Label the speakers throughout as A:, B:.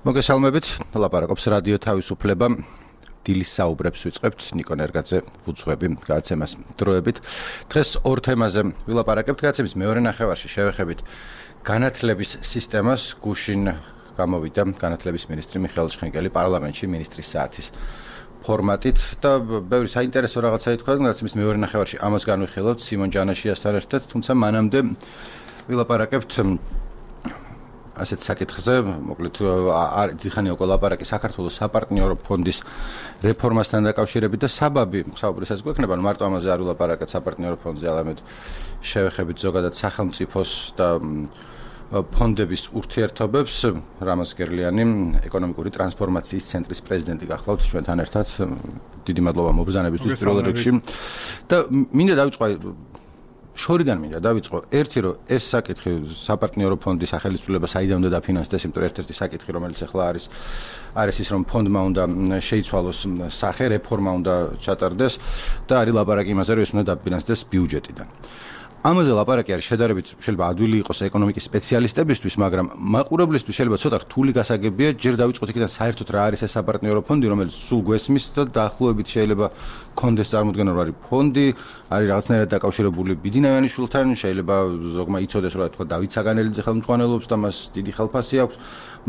A: მოგესალმებით, ლაპარაკობს რადიო თავისუფლება. დილის საუბრებს ვიწყებთ ნიკო ნერგაძე ვუძღვები გადაცემას დროებით. დღეს ორ თემაზე ვილაპარაკებთ. გადაცემის მეორე ნახევარში შევეხებით განათლების სისტემას. გუშინ გამოვიდა განათლების მინისტრი მიხეილ შხენკელი პარლამენტში მინისტრის საათის ფორმატით და ბევრი საინტერესო რაღაცა ითქვა. გადაცემის მეორე ნახევარში ამას განვიხილავთ სიმონ ჯანაშიასთან ერთად, თუმცა მანამდე ვილაპარაკებთ ასეთ საკითხზე, მოკლედ დიხანია უკვე ლაპარაკი საქართველოს საპარტნიორო ფონდის რეფორმასთან დაკავშირებით და საბაბი საუბრისას გვექნება, მარტო ამაზე არ ვილაპარაკეთ საპარტნიორო ფონდზე, არამედ შევეხებით ზოგადად სახელმწიფოს და ფონდების ურთიერთობებს. რამაზ გერლიანი, ეკონომიკური ტრანსფორმაციის ცენტრის პრეზიდენტი გახლავთ ჩვენთან ერთად. დიდი მადლობა მობრძანებისთვის პირველ რიგში. და მინდა დავიწყო შორიდან მინდა დავიწყო ერთი რომ ეს საკითხი საპარტნიორო ფონდის სახელმწიფოება საიდან უნდა დაფინანსდეს, იმიტომ ერთ-ერთი საკითხი რომელიც ახლა არის ის რომ ფონდმა უნდა შეიცვალოს სახე, რეფორმა უნდა ჩატარდეს და არის ლაპარაკი იმაზე რომ ეს უნდა დაფინანსდეს ბიუჯეტიდან. ამაზე ლაპარაკი არის შედარებით შეიძლება ადვილი იყოს ეკონომიკის სპეციალისტებისთვის, მაგრამ მაყურებლისთვის შეიძლება ცოტა რთული გასაგებია. ჯერ დავიწყოთ იქიდან საერთოდ რა არის ეს საპარტნიორო ფონდი, რომელიც სულ გვესმის და დაახლოებით შეიძლება კონდეს წარმოდგენა რომ არის ფონდი, არის რაღაცნაირად დაკავშირებული ბიძინავიანიშვილთან, შეიძლება ზოგმა იცოდეს რომ თქვა დავით საგანელიძე ხელმძღვანელობს და მას დიდი ხელფასი აქვს,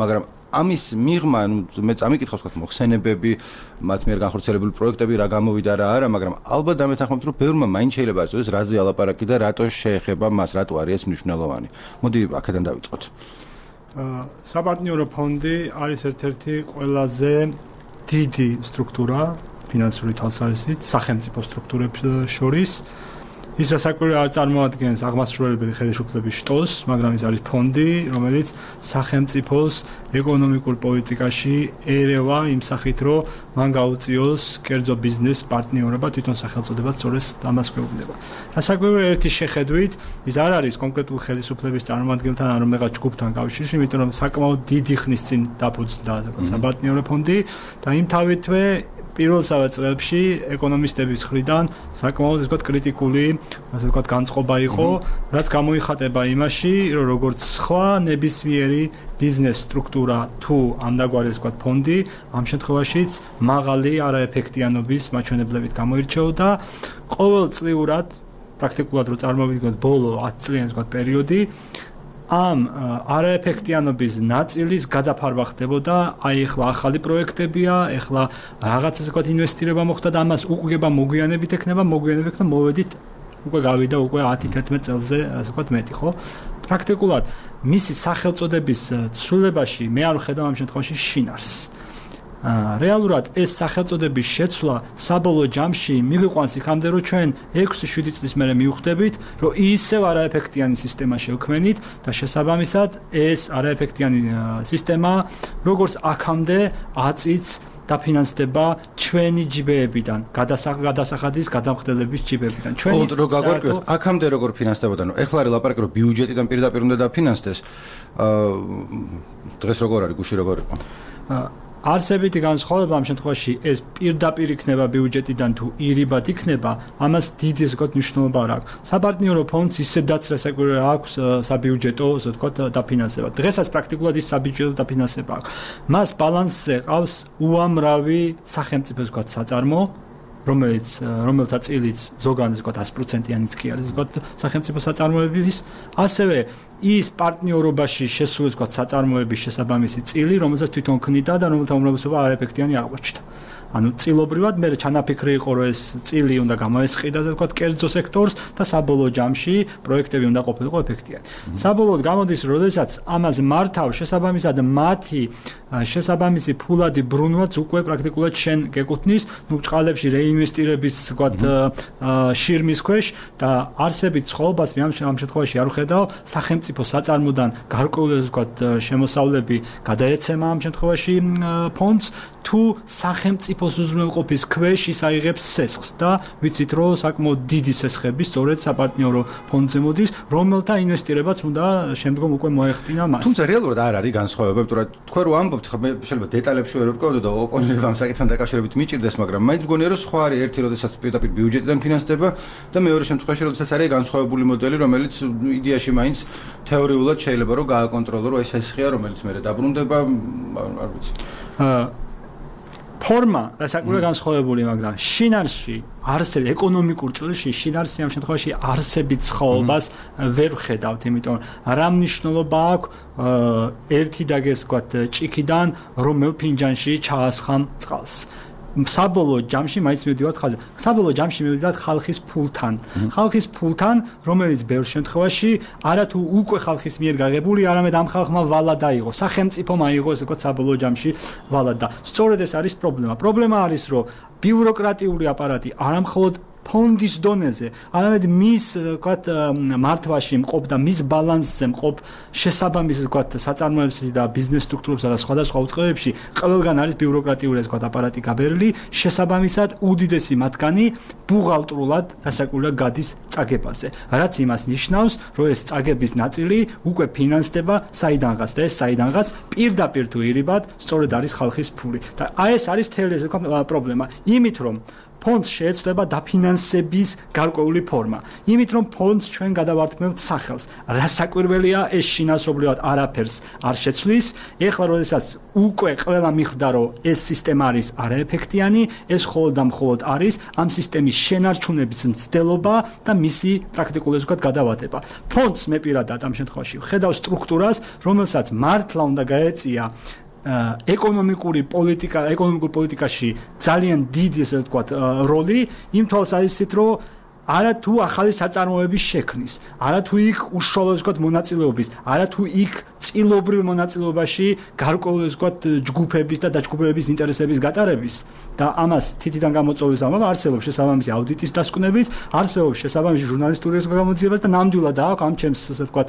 A: მაგრამ ამის მიღმა, მე წამიკითხავს თქვა მოხსენებები, მათ მიერ განხორციელებული პროექტები რა გამოვიდა რა არა, მაგრამ ალბათ დამეთანხმებთ რომ ბევრმა მაინც შეიძლება არ იცოდეს რაზე ალაპარაკი და რატო შეეხება მას, რატო არის ეს მნიშვნელოვანი. მოდი აქედან დავიწყოთ.
B: საპარტნიორო ფონდი არის ერთ-ერთი ყველაზე დიდი სტრუქტურა ფინანსური თვალსაზრისით სახელმწიფო სტრუქტურებს შორის. ის საკვირველი არ წარმოადგენს აღმასრულებელი ხელისუფლების შტოს, მაგრამ ის არის ფონდი, რომელიც სახელმწიფოს ეკონომიკურ პოლიტიკაში ერევა იმ სახით, რომ მან გაუწიოს კერძო ბიზნეს პარტნიორობა, თვითონ სახელწოდებაც სწორედ ამას გვეუბნება. საკვირველი ერთი შეხედვით, ის არ არის კონკრეტულ ხელისუფლების წარმომადგენელთან ან რომელიღაც ჯგუფთან კავშირში, იმიტომ რომ საკმაოდ დიდი ხნის წინ დაფუძნდა საპარტნიორო ფონდი და იმთავითვე პირველ წლებში ეკონომისტების მხრიდან საკმაოდ ისე კრიტიკული, ასე ვთქვათ, განწყობა იყო, რაც გამოიხატება იმაში, რომ როგორც სხვა ნებისმიერი ბიზნეს სტრუქტურა თუ ამდაგვარი ისე ვთქვათ ფონდი, ამ შემთხვევაშიც მაღალი არაეფექტიანობის მაჩვენებლებით გამოირჩეოდა. ყოველწლიურად, პრაქტიკულად რო წარმოვიდგინოთ ბოლო 10 წლიანი ვთქვათ პერიოდი, ამ არაეფექტიანობის ნაწილის გადაფარვა ხდებოდა. აი ახლა ახალი პროექტებია, ახლა რაღაცას ვთქვათ ინვესტირება მოხდა და ამას უკვე მოგვიანებით ექნება, მოვედით უკვე გავიდა უკვე 10-11 წელზე, ასე ვთქვათ მეტი, ხო? პრაქტიკულად მისი სახელწოდების ცვლილებაში მე არ ვხედავ ამ შემთხვევაში შინარს. რეალურად ეს სახელწოდების შეცვლა საბოლოო ჯამში მიგვიყვანს იქამდე რომ ჩვენ 6-7 წლის მერე მივხვდებით რომ ისევ არაეფექტიანი სისტემა შევქმნით და შესაბამისად ეს არაეფექტიანი სისტემა როგორც აქამდე აწიც დაფინანსდება ჩვენი ჯიბეებიდან, გადასახადის გადამხდელების ჯიბეებიდან.
A: ჩვენი რო გაგვარკვიოთ, აქამდე როგორ ფინანსდებოდა, ნუ ეხლა არის ლაპარაკი რომ ბიუჯეტიდან პირდაპირ უნდა დაფინანსდეს. დღეს როგორ არის, გუშინ როგორ იყო?
B: არსებითი განსხვავება ამ შემთხვევაში ეს პირდაპირ იქნება ბიუჯეტიდან თუ ირიბად იქნება, ამას დიდი ისე ვთქვათ მნიშვნელობა არ აქვს. საპარტნიორო ფონდს ისედაც რასაკვირველი აქვს საბიუჯეტო, ასე ვთქვათ, დაფინანსება. დღესაც პრაქტიკულად ის საბიუჯეტო დაფინანსება აქვს. მას ბალანსზე ყავს უამრავი სახელმწიფო ვთქვათ საწარმო, რომელთა წილიც ზოგადად ვთქვათ 100%-იანიც კი არის ვთქვათ სახელმწიფო საწარმოების, ასევე ის პარტნიორობაში შესული ვთქვათ საწარმოების შესაბამისი წილი, რომელსაც თვითონ ქმნიდა და რომელთა უმრავლესობა არაეფექტიანი აღმოჩნდა. ანუ წილობრივად მე ჩანაფიქრი იყო რომ ეს წილი უნდა გამოესყიდას ვთქვათ კერძო სექტორს და საბოლოო ჯამში პროექტები უნდა ყოფილიყო ეფექტიანი. საბოლოოდ გამოდის როდესაც ამას მართავ შესაბამისად მათი შესაბამისი ფულადი ბრუნვაც უკვე პრაქტიკულად შენ გეკუთვნის, ნუ ბრწყალებში რეინვესტირების ვთქვათ შირმის ქვეშ და არსებით ცხოვრებას მე ამ შემთხვევაში არ ვხედავ სახელმწიფო საწარმოდან გარკვეული ვთქვათ შემოსავლები გადაეცემა ამ შემთხვევაში ფონდს თუ სახელმწიფოს უზრუნველყოფის ქვეშ ის აიღებს სესხს და ვიცით რომ საკმაოდ დიდი სესხები სწორედ საპარტნიორო ფონდზე მოდის, რომელთა ინვესტირებაც უნდა შემდგომ უკვე მოეხდინა მას.
A: თუმცა რეალურად არ არის განსხვავება, იმიტომ რომ თქვენ რო ამბობთ, ხა მე შეიძლება დეტალებში ვერ ვკავდო და ოპონენტებამ საკითხთან დაკავშირებით მიჭირდეს, მაგრამ მაინც მგონია რომ სხვა არის ერთი, როდესაც პირდაპირ ბიუჯეტიდან ფინანსდება და მეორე შემთხვევაში, როდესაც არის განსხვავებული მოდელი, რომელიც იდეაში მაინც თეორიულად შეიძლება რომ გააკონტროლო, რომ ეს ხია, რომელიც მე დაბრუნდება, არ ვიცი.
B: ფორმა რასაკვირველია განსხვავებული, მაგრამ შინაარსში არსები ეკონომიკურ ჭრილში შინაარსი ამ შემთხვევაში არსებით ცხოველობას ვერ ვხედავთ, იმიტომ რა მნიშვნელობა აქვს ერთი დაგეს ვთქვათ ჭიქიდან რომელ ფინჯანში ჩაასხამ წყალს. საბოლოო ჯამში მაინც მივდივართ ხალხზე. საბოლოო ჯამში მივდივართ ხალხის ფულთან. ხალხის ფულთან, რომელიც ბევრ შემთხვევაში არათუ უკვე ხალხის მიერ გაღებული, არამედ ამ ხალხმა ვალად აიღო. სახელმწიფომ აიღო, ესე ვთქვათ, საბოლოო ჯამში ვალად და სწორედ ეს არის პრობლემა. პრობლემა არის, რომ ბიუროკრატიული აპარატი არამხოლოდ ფონდის დონეზე, არამედ მის, ვთქვათ, მართვაში მყოფ და მის ბალანსზე მყოფ შესაბამის, ვთქვათ, საწარმოებში და ბიზნეს სტრუქტურებსა და სხვადასხვა უწყებებში ყველგან არის ბიუროკრატიული, ვთქვათ, აპარატი გაბერილი, შესაბამისად უდიდესი მათგანი ბუღალტრულად რასაკვირველია გადის წაგებაზე. რაც იმას ნიშნავს, რომ ეს წაგების ნაწილი უკვე ფინანსდება საიდანღაც და ეს საიდანღაც პირდაპირ თუ ირიბად სწორედ არის ხალხის ფული. და ეს არის თელი ეს პრობლემა. იმით რომ ფონდს შეეცვლება დაფინანსების გარკვეული ფორმა. იმით რომ ფონდს ჩვენ გადავართმევთ სახელს. რასაკვირველია ეს შინაარსობრივად არაფერს არ შეცვლის. ეხლა როდესაც უკვე ყველა მიხვდა რომ ეს სისტემა არის არაეფექტიანი, ეს მხოლოდ და მხოლოდ არის ამ სისტემის შენარჩუნების მცდელობა და მისი პრაქტიკულად ვთქვათ გადავატება. ფონდს მე პირადად ამ შემთხვევაში ვხედავ სტრუქტურას, რომელსაც მართლა უნდა გაეწია ეკონომიკურ პოლიტიკაში ძალიან დიდი ესე ვთქვათ როლი იმ თვალსაზრისით რომ არა თუ ახალი საწარმოების შექმნის, არა თუ იქ უშუალო ვთქვათ მონაწილეობის, არა თუ იქ წილობრივ მონაწილეობაში გარკვეული ვთქვათ ჯგუფების და დაჯგუფებების ინტერესების გატარების და ამას თითიდან გამოწვევის ამბავი არსებობს შესაბამისი აუდიტის დასკვნებიც, არსებობს შესაბამისი ჟურნალისტური გამოძიებაც და ნამდვილად აქვს ამ ჩემს ასე ვთქვათ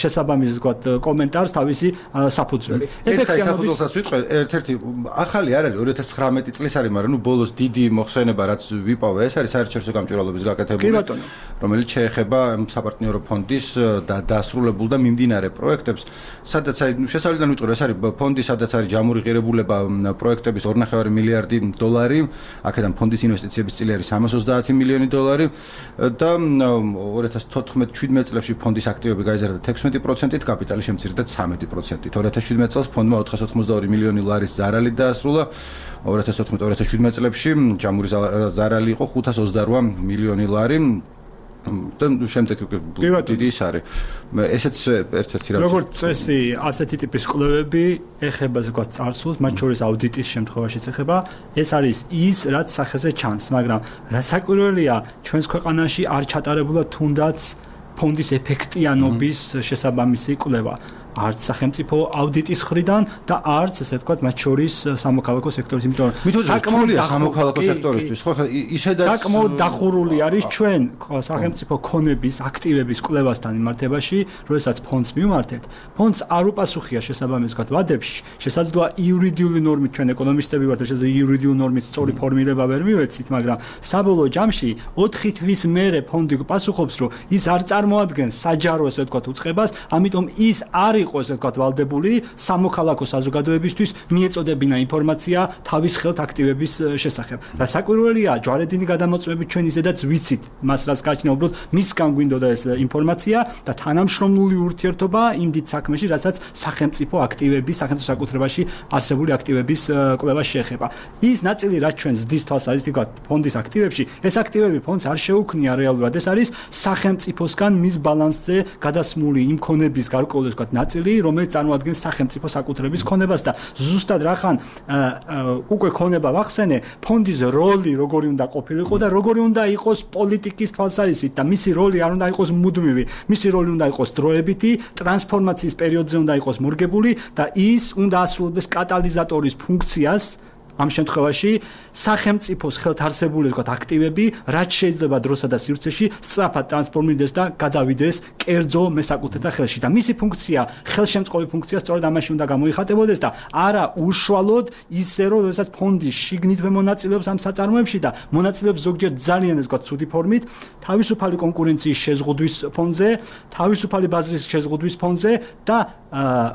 B: შესაბამის ვთქვათ კომენტარს თავისი საფუძველი.
A: ეფექტიანობისას ვიტყვი, ერთ-ერთი ახალი არ არის 2019 წლის არის, მაგრამ ნუ ბოლოს დიდი მოხსენება რაც ვიპოვე, ეს არის საერთაშორისო გამჭვირვალობის რომელიც შეეხება საპარტნიორო ფონდის დასრულებულ და მიმდინარე პროექტებს, სადაც შესავლიდან ვიტყვი, ეს არის ფონდი, სადაც არის ჯამური ღირებულება პროექტების 2.5 მილიარდი დოლარი, აქედან ფონდის ინვესტიციების წილი არის 330 მილიონი დოლარი და 2014-17 წლებში ფონდის აქტივები გაიზარდა 16%-ით, კაპიტალი შემცირდა 13%-ით. 2017 წელს ფონდმა 482 მილიონი ლარის ზარალი დაასრულა. 2014-2017 წლებში ჯამური ზარალი იყო 528 მილიონი ლარი და შემდეგ დიდი ის არის. ესეც ერთ-ერთი რაც
B: როგორც წესი, ასეთი ტიპის კვლევები ეხება ზოგადად წარსულს, მათ შორის აუდიტის შემთხვევაშიც ეხება. ეს არის ის, რაც სახეზე ჩანს, მაგრამ რასაკვირველია, ჩვენს ქვეყანაში არ ჩატარებულა თუნდაც ფონდის ეფექტიანობის შესაბამისი კვლევა. არც სახელმწიფო აუდიტის მხრიდან და არც ესე ვთქვათ მათ შორის სამოქალაქო სექტორის, იმიტომ რომ
A: საკმაოდ სამოქალაქო სექტორისთვის ხო ისედაც
B: საკმაოდ დახურული არის ჩვენ სახელმწიფო ქონების აქტივების კვლევასთან მიმართებაში, როდესაც ფონდს მიმართეთ. ფონდს არ უპასუხია შესაბამის ვთქვათ ვადებში, შესაძლოა იურიდიული ნორმით ჩვენ ეკონომისტები ვართ, შესაძლოა იურიდიული ნორმით სწორი ფორმირება ვერ მივეცით, მაგრამ საბოლოო ჯამში 4 თვის მერე ფონდი პასუხობს, რომ ის არ წარმოადგენს საჯარო ესე ვთქვათ უწყებას, ამიტომ ის არ იყოს ესე ვთქვათ ვალდებული სამოქალაქო საზოგადოებისთვის მიეწოდებინა ინფორმაცია თავის ხელთ აქტივების შესახებ. რასაკვირველია, ჯვარედინი გადამოწმებით ჩვენ ისედაც ვიცით მას რაც გააჩნია, უბრალოდ მისგან გვინდოდა ეს ინფორმაცია და თანამშრომლული ურთიერთობა იმ დიდ საქმეში, რასაც სახელმწიფო აქტივების, სახელმწიფო საკუთრებაში არსებული აქტივების კვლევა შეეხება. ის ნაწილი რაც ჩვენ ზრდის თვალსაზრისით ვთქვათ ფონდის აქტივებში, ეს აქტივები ფონდს არ შეუქმნია რეალურად, ეს არის სახელმწიფოსგან მის ბალანსზე გადასმული იმ ქონების გარკვეული ვთქვათ ნაწილი, რომელიც წარმოადგენს სახელმწიფო საკუთრების ქონებას და ზუსტად რახან უკვე ქონება ვახსენე, ფონდის როლი როგორი უნდა ყოფილიყო და როგორი უნდა იყოს პოლიტიკის თვალსაზრისით და მისი როლი არ უნდა იყოს მუდმივი, მისი როლი უნდა იყოს დროებითი, ტრანსფორმაციის პერიოდზე უნდა იყოს მორგებული და ის უნდა ასრულებდეს კატალიზატორის ფუნქციას. ამ შემთხვევაში სახელმწიფოს ხელთ არსებული ვთქვათ აქტივები, რაც შეიძლება დროსა და სივრცეში სწრაფად ტრანსფორმირდეს და გადავიდეს კერძო მესაკუთრეთა ხელში და მისი ფუნქცია, ხელშემწყობი ფუნქცია სწორედ ამაში უნდა გამოიხატებოდეს და არა უშუალოდ ისე რომ როდესაც ფონდი შიგნითვე მონაწილეობს ამ საწარმოებში და მონაწილეობს ზოგჯერ ძალიან ეს ვთქვათ ცუდი ფორმით, თავისუფალი კონკურენციის შეზღუდვის ფონზე, თავისუფალი ბაზრის შეზღუდვის ფონზე და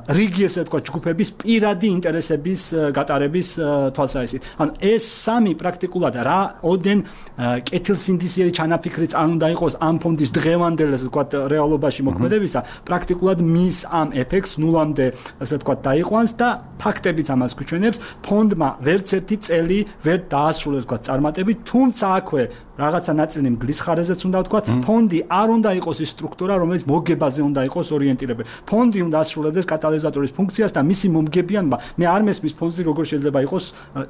B: რიგი ესე ვთქვათ ჯგუფების პირადი ინტერესების გატარების თვალსაზრისით. თვალსაზრისით. ანუ ეს სამი პრაქტიკულად რა ოდენ კეთილსინდისიერი ჩანაფიქრი არ უნდა იყოს ამ ფონდის დღევანდელ ასე ვთქვათ რეალობაში მოქმედებისა, პრაქტიკულად მის ამ ეფექტს ნულამდე ასე ვთქვათ დაიყვანს და ფაქტებიც ამას გვჩვენებს, ფონდმა ვერც ერთი წელი ვერ დაასრულეს ვთქვათ წარმატებით, თუმცა აქვე რაღაცა ნაწილი მგლის ხარეზეც უნდა ვთქვათ, ფონდი არ უნდა იყოს ის სტრუქტურა, რომელიც მოგებაზე უნდა იყოს ორიენტირებული. ფონდი უნდა ასრულებდეს კატალიზატორის ფუნქციას და მისი მომგებიანობა, მე არ მესმის ფონდი როგორ შეიძლება იყოს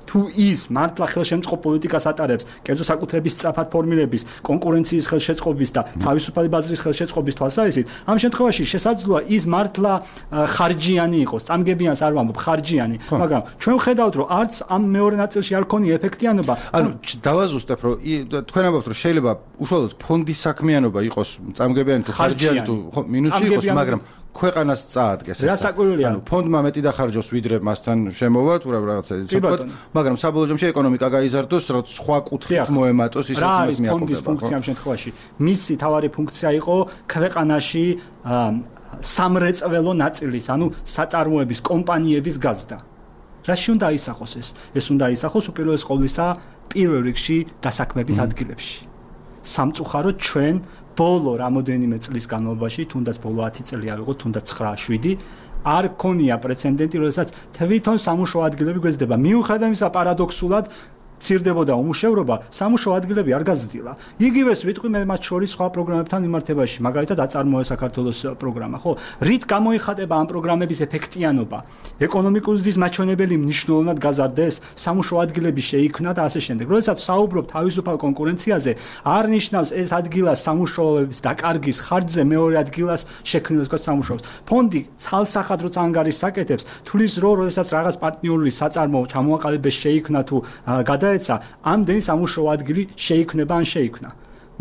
B: თუ ის მართლა ხელშემწყობ პოლიტიკას ატარებს, კერძო საკუთრების სწრაფად ფორმირების, კონკურენციის ხელშეწყობის და თავისუფალი ბაზრის ხელშეწყობის თვალსაზრისით, ამ შემთხვევაში შესაძლოა ის მართლა ხარჯიანი იყოს, წამგებიანს არ ვამბობ, ხარჯიანი, მაგრამ ჩვენ ვხედავთ, რომ არც ამ მეორე ნაწილში არ ქონია ეფექტიანობა.
A: ანუ დავაზუსტებ, რომ თქვენ ამბობთ, რომ შეიძლება უშუალოდ ფონდის საქმიანობა იყოს წამგებიანი თუ ხარჯიანი თუ მინუსი იყოს, მაგრამ ქვეყანას წაადგეს ეს. ანუ ფონდმა მეტი დახარჯოს ვიდრე მასთან შემოვა თუ რაღაცა ისე, მაგრამ საბოლოო ჯამში ეკონომიკა გაიზარდოს, რომ სხვა კუთხით მოემატოს ის რაც მას მიაყოლება.
B: ფონდის ფუნქცია ამ შემთხვევაში მისი თავარი ფუნქცია იყო ქვეყანაში სამრეწველო ნაწილის, ანუ საწარმოების კომპანიების გაზრდა. რაში უნდა აისახოს ეს? ეს უნდა აისახოს უპირველეს ყოვლისა პირველ რიგში დასაქმების ადგილებში. სამწუხაროდ ჩვენ ბოლო რამოდენიმე წლის განმავლობაში, თუნდაც ბოლო 10 წელი ავიღოთ, თუნდაც 9-7, არ ქონია პრეცედენტი, როდესაც თვითონ სამუშაო ადგილები გვეძდება. მიუხედავად იმისა, პარადოქსულად ცირდებოდა უმუშევრობა, სამუშაო ადგილები არ გაზრდილა. იგივეს ვიტყვი მე მათ შორის სხვა პროგრამებთან მიმართებაში, მაგალითად აწარმოე საქართველოს პროგრამა, ხო? რით გამოიხატება ამ პროგრამების ეფექტიანობა? ეკონომიკური ზრდის მაჩვენებელი მნიშვნელოვნად გაზარდეს, სამუშაო ადგილები შეიქმნა და ასე შემდეგ. როდესაც საუბრობ თავისუფალ კონკურენციაზე, არ ნიშნავს ეს ადგილას სამუშაოების დაკარგის ხარჯზე მეორე ადგილას შექმნილ სამუშაოს. ფონდი ცალსახად როცა ანგარიშს აკეთებს, თulis რომ როდესაც რაღაც პარტნიორული საწარმოო ჩამოაყალიბეს შეიქმნა თუ გადაეცა, ამდენი სამუშაო ადგილი შეიქმნება ან შეიქმნა.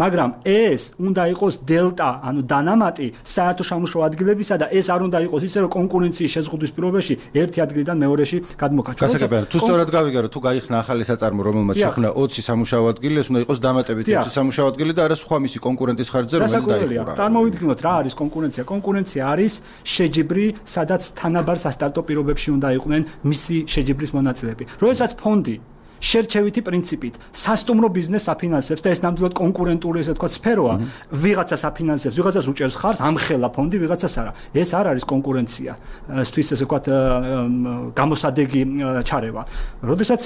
B: მაგრამ ეს უნდა იყოს დელტა, ანუ დანამატი საერთო სამუშაო ადგილებისა და ეს არ უნდა იყოს ისე, რომ კონკურენციის შეზღუდვის პირობებში ერთი ადგილიდან მეორეში გადმოკაჩვა.
A: გასაგებია, თუ სწორად გავიგე, რომ თუ გაიხსნა ახალი საწარმო, რომელმაც შექმნა 20 სამუშაო ადგილი, ეს უნდა იყოს დამატებით 20 სამუშაო ადგილი და არა სხვა მისი კონკურენტის ხარჯზე, რომელიც დაიხურა.
B: წარმოვიდგინოთ რა არის კონკურენცია. კონკურენცია არის შეჯიბრი, სადაც თანაბარ სასტარტო პირობებში უნდა იყვნენ მისი შეჯიბრის მონაწილეები. როდესაც ფონდი შერჩევითი პრინციპით სასტუმრო ბიზნესს აფინანსებს და ეს ნამდვილად კონკურენტული ესე თქვა სფეროა, ვიღაცას აფინანსებს, ვიღაცას უჭერს ხარს, ამხელა ფონდი ვიღაცას არა. ეს არ არის კონკურენცია. ისთვის ესე თქვა გამოსადეგი ჩარევა. როდესაც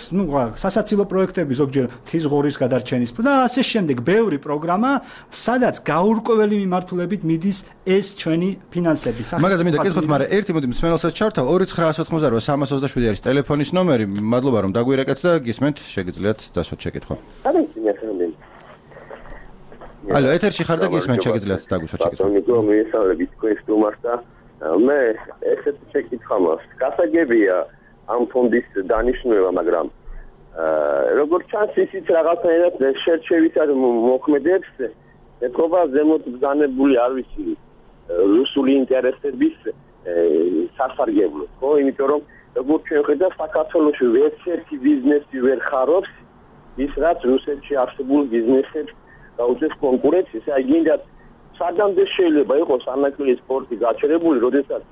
B: სასაცილო პროექტები ზოგჯერ თის ღორის გადარჩენის და ასე შემდეგ ბევრი პროგრამა, სადაც გაურკვეველი მიმართულებით მიდის ეს ჩვენი ფინანსები.
A: მაგაზე მინდა კითხოთ, მაგრამ ერთი მოდი მსმენელსაც ჩართავ 2988 არის ტელეფონის ნომერი. მადლობა რომ დაგვირეკეთ და შეგიძლიათ დასვათ შეკითხვა. ალო, ეთერში ხარ და გისმენთ, შეგიძლიათ დაგვისვათ შეკითხვა.
C: ნიკო, მიესალმებით თქვენს სტუმარს და მე ესეთ შეკითხვა მაქვს. გასაგებია ამ ფონდის დანიშნულება, მაგრამ როგორც ჩანს ისიც რაღაცნაირად შერჩევითად მოქმედებს, ეთქობა ზემოთ ბრძანებული, არ ვიცი, რუსული ინტერესების სასარგებლოდ, ხო, იმიტომ რომ როგორც ჩვენ ხედავთ, საქართველოში ვერცერთი ბიზნესი ვერ ხარობს ის, რაც რუსეთში არსებულ ბიზნესებს გაუწევს კონკურენციას. აი, გინდათ, სადამდე შეიძლება იყოს ანაკლი სპორტი გაჩერებული, როდესაც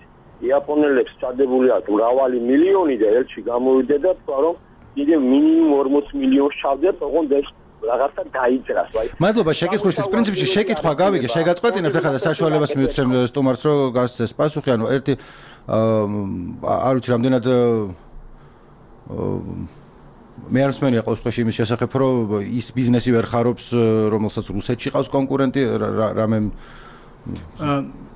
C: იაპონელებს ჩადებული აქვს მრავალი მილიონი და ერთში გამოვიდა და თქვა, რომ კიდევ მინიმუმ 40 მილიონს ჩავდეთ, ოღონდ ეს რაღაცა დაიძრას.
A: მადლობა შეკითხვისთვის. პრინციპში შეკითხვა გავიგე, შეგაწყვეტინებთ ახლა და საშუალებას მივცემ სტუმარს, რომ გასცეს პასუხი, ანუ ერთი არ ვიცი რამდენად მე არ მსმენია ყოველ შემთხვევაში იმის შესახებ, რომ ის ბიზნესი ვერ ხარობს, რომელსაც რუსეთში ყავს კონკურენტი, რამე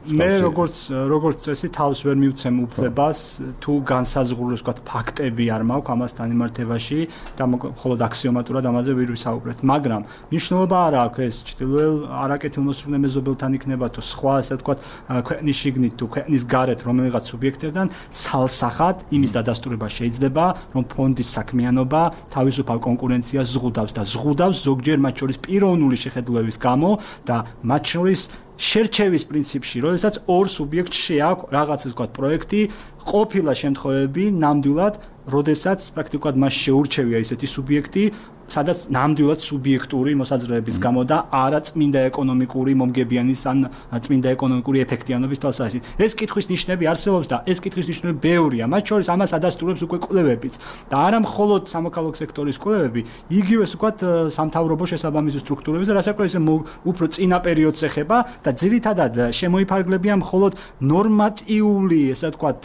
A: მე როგორც წესი თავს ვერ მივცემ უფლებას თუ განსაზღვრულოს ვთქვათ ფაქტები არ მაქვს ამასთან მიმართებაში და მხოლოდ აქსიომატურად ამაზე ვერ ვისაუბრეთ, მაგრამ მნიშვნელობა არ აქვს ეს ჩtildeულ არაკეთილმოსურნე მეზობელთან იქნება თუ სხვა ასე ვთქვათ ქვეყნის შიგნით თუ ქვეყნის გარეთ რომელიღაც სუბიექტებთან ცალსახად იმის დადასტურება შეიძლება რომ ფონდის საქმიანობა თავისუფალ კონკურენციას ზღუდავს და ზღუდავს ზოგჯერ მათ შორის პიროვნული შეხედულების გამო და მათ შორის შერჩევის პრინციპში, როდესაც ორ სუბიექტში აქვს რაღაც ასე ვთქვათ პროექტი, ყოფილა შემთხვევები ნამდვილად, როდესაც პრაქტიკულად მას შეურჩევია ისეთი სუბიექტი,
B: სადაც ნამდვილად სუბიექტური მოსაზრებების გამო და არა წმინდა ეკონომიკური მომგებიანის ან წმინდა ეკონომიკური ეფექტიანობის თვალსაზრისით. ეს კითხვის ნიშნები არსებობს და ეს კითხვის ნიშნები ბევრია. მათ შორის ამას ადასტურებს უკვე კვლევებიც და არა მხოლოდ სამოქალაქო სექტორის კვლევები, იგივე ვთქვათ სამთავრობო შესაბამისი სტრუქტურების და რასაკვირველია უფრო წინა პერიოდს ეხება და ძირითადად შემოიფარგლებიან მხოლოდ ნორმატიული, ესე ვთქვათ,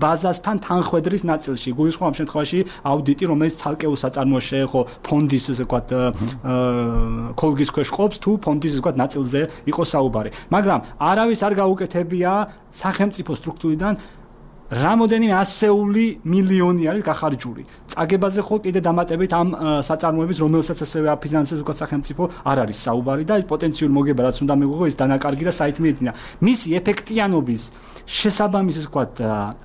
B: ბაზასთან თანხვედრის ნაწილში. გულისხმობ ამ შემთხვევაში აუდიტი, რომელიც ცალკეულ საწარმოოს შეეხო ფონდის, ესე ვთქვათ, ქოლგის ქვეშ ყოფს თუ ფონდის, ესე ვთქვათ, ნაწილზე იყო საუბარი. მაგრამ არავის არ გაუკეთებია სახელმწიფო სტრუქტურიდან რამოდენიმე ასეული მილიონი არის გახარჯული. წაგებაზე ხო კიდე დამატებით ამ საწარმოების, რომელსაც ასევე აფინანსებს უკვე სახელმწიფო, არ არის საუბარი და პოტენციური მოგება რაც უნდა მიიღო ის დანაკარგი და საით მიედინა. მისი ეფექტიანობის შესაბამისი ვთქვათ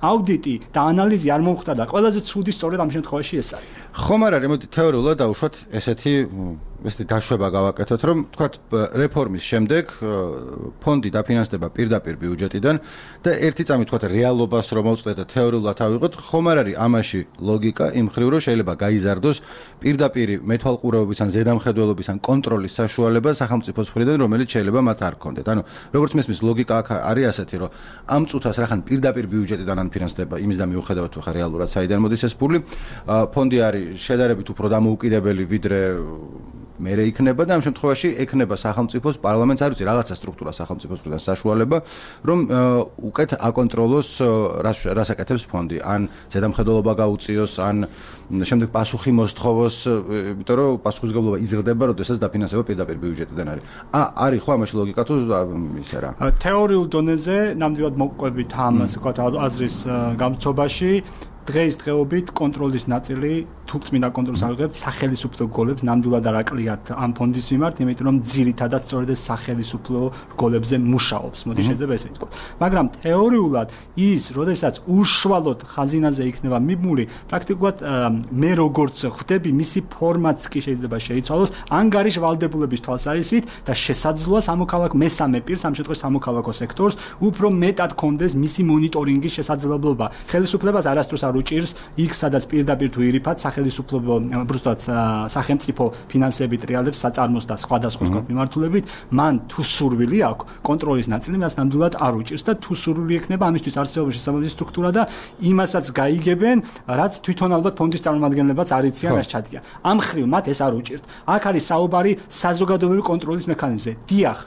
B: აუდიტი და ანალიზი არ მომხდა და ყველაზე ცუდი სწორედ ამ შემთხვევაში ეს არის.
A: ხომ არ არის, მოდი თეორიულად დავუშვათ ესეთი დაშვება გავაკეთოთ, რომ ვთქვათ რეფორმის შემდეგ ფონდი დაფინანსდება პირდაპირ ბიუჯეტიდან და ერთი წამი ვთქვათ რეალობას რომ მოვწყდეთ და თეორიულად ავიღოთ, ხომ არ არის ამაში ლოგიკა იმ ხრივ რომ შეიძლება გაიზარდოს პირდაპირ მეთვალყურეობის ან ზედამხედველობის ან კონტროლის საშუალება სახელმწიფოს მხრიდან, რომელიც შეიძლება მათ არ ჰქონდეთ. ანუ როგორც მესმის ლოგიკა აქ არის ასეთი, რომ ამ წუთას რახან პირდაპირ ბიუჯეტიდან ანფინანსდება იმის და მიუხედავად ხა რეალურად საიდან მოდის ეს ფული, ფონდი არის შედარებით უფრო დამოუკიდებელი ვიდრე მერე იქნება და ამ შემთხვევაში ექნება სახელმწიფოს პარლამენტს არ ვიცი რაღაცა სტრუქტურა სახელმწიფოს მხრიდან საშუალება რომ უკეთ აკონტროლოს რას აკეთებს ფონდი ან ზედამხედველობა გაუწიოს ან შემდეგ პასუხი მოსთხოვოს იმიტომ რომ პასუხისმგებლობა იზრდება როდესაც დაფინანსება პირდაპირ ბიუჯეტიდან არის არის ხო ამაში ლოგიკა თუ ისე რა
B: თეორიულ დონეზე ნამდვილად მოყვებით ამ ასე ვთქვათ აზრის გამწობაში დღეობით კონტროლის ნაწილი თუ წმინდა კონტროლს აღებთ სახელისუფლო რგოლებს ნამდვილად არ აკლიათ ამ ფონდის მიმართ, იმიტომ რომ ძირითადად სწორედ ეს სახელისუფლო რგოლებზე მუშაობს. მოდი შეიძლება ესე ვთქვათ. მაგრამ თეორიულად ის, როდესაც უშუალოდ ხაზინაზე იქნება მიბმული, პრაქტიკულად მე როგორც ხვდები, მისი ფორმაც კი შეიძლება შეიცვალოს ანგარიშ ვალდებულების თვალსაზრისით და შესაძლოა სამოქალაქო მესამე პირს, ამ შემთხვევაში სამოქალაქო სექტორს, უფრო მეტად კონდეს მისი მონიტორინგის შესაძლებლობა. ხელისუფლებას არასდროს არ უჭირს იქ, სადაც პირდაპირ თუ ირიფად სახელისუფლებო უბრალოდ სახელმწიფო ფინანსებით რეალებს საწარმოს და სხვადასხვა მიმართულებით, მან თუ სურვილი აქვს კონტროლის ნაწილი, მას ნამდვილად არ უჭირს და თუ სურვილი ექნება ამისთვის არსებობს შესაბამისი სტრუქტურა და იმასაც გაიგებენ, რაც თვითონ ალბათ ფონდის წარმომადგენლებაც არ იციან, რაც ჩადიან. ამ ხრივ მათ ეს არ უჭირთ. აქ არის საუბარი საზოგადოებრივი კონტროლის მექანიზმზე. დიახ,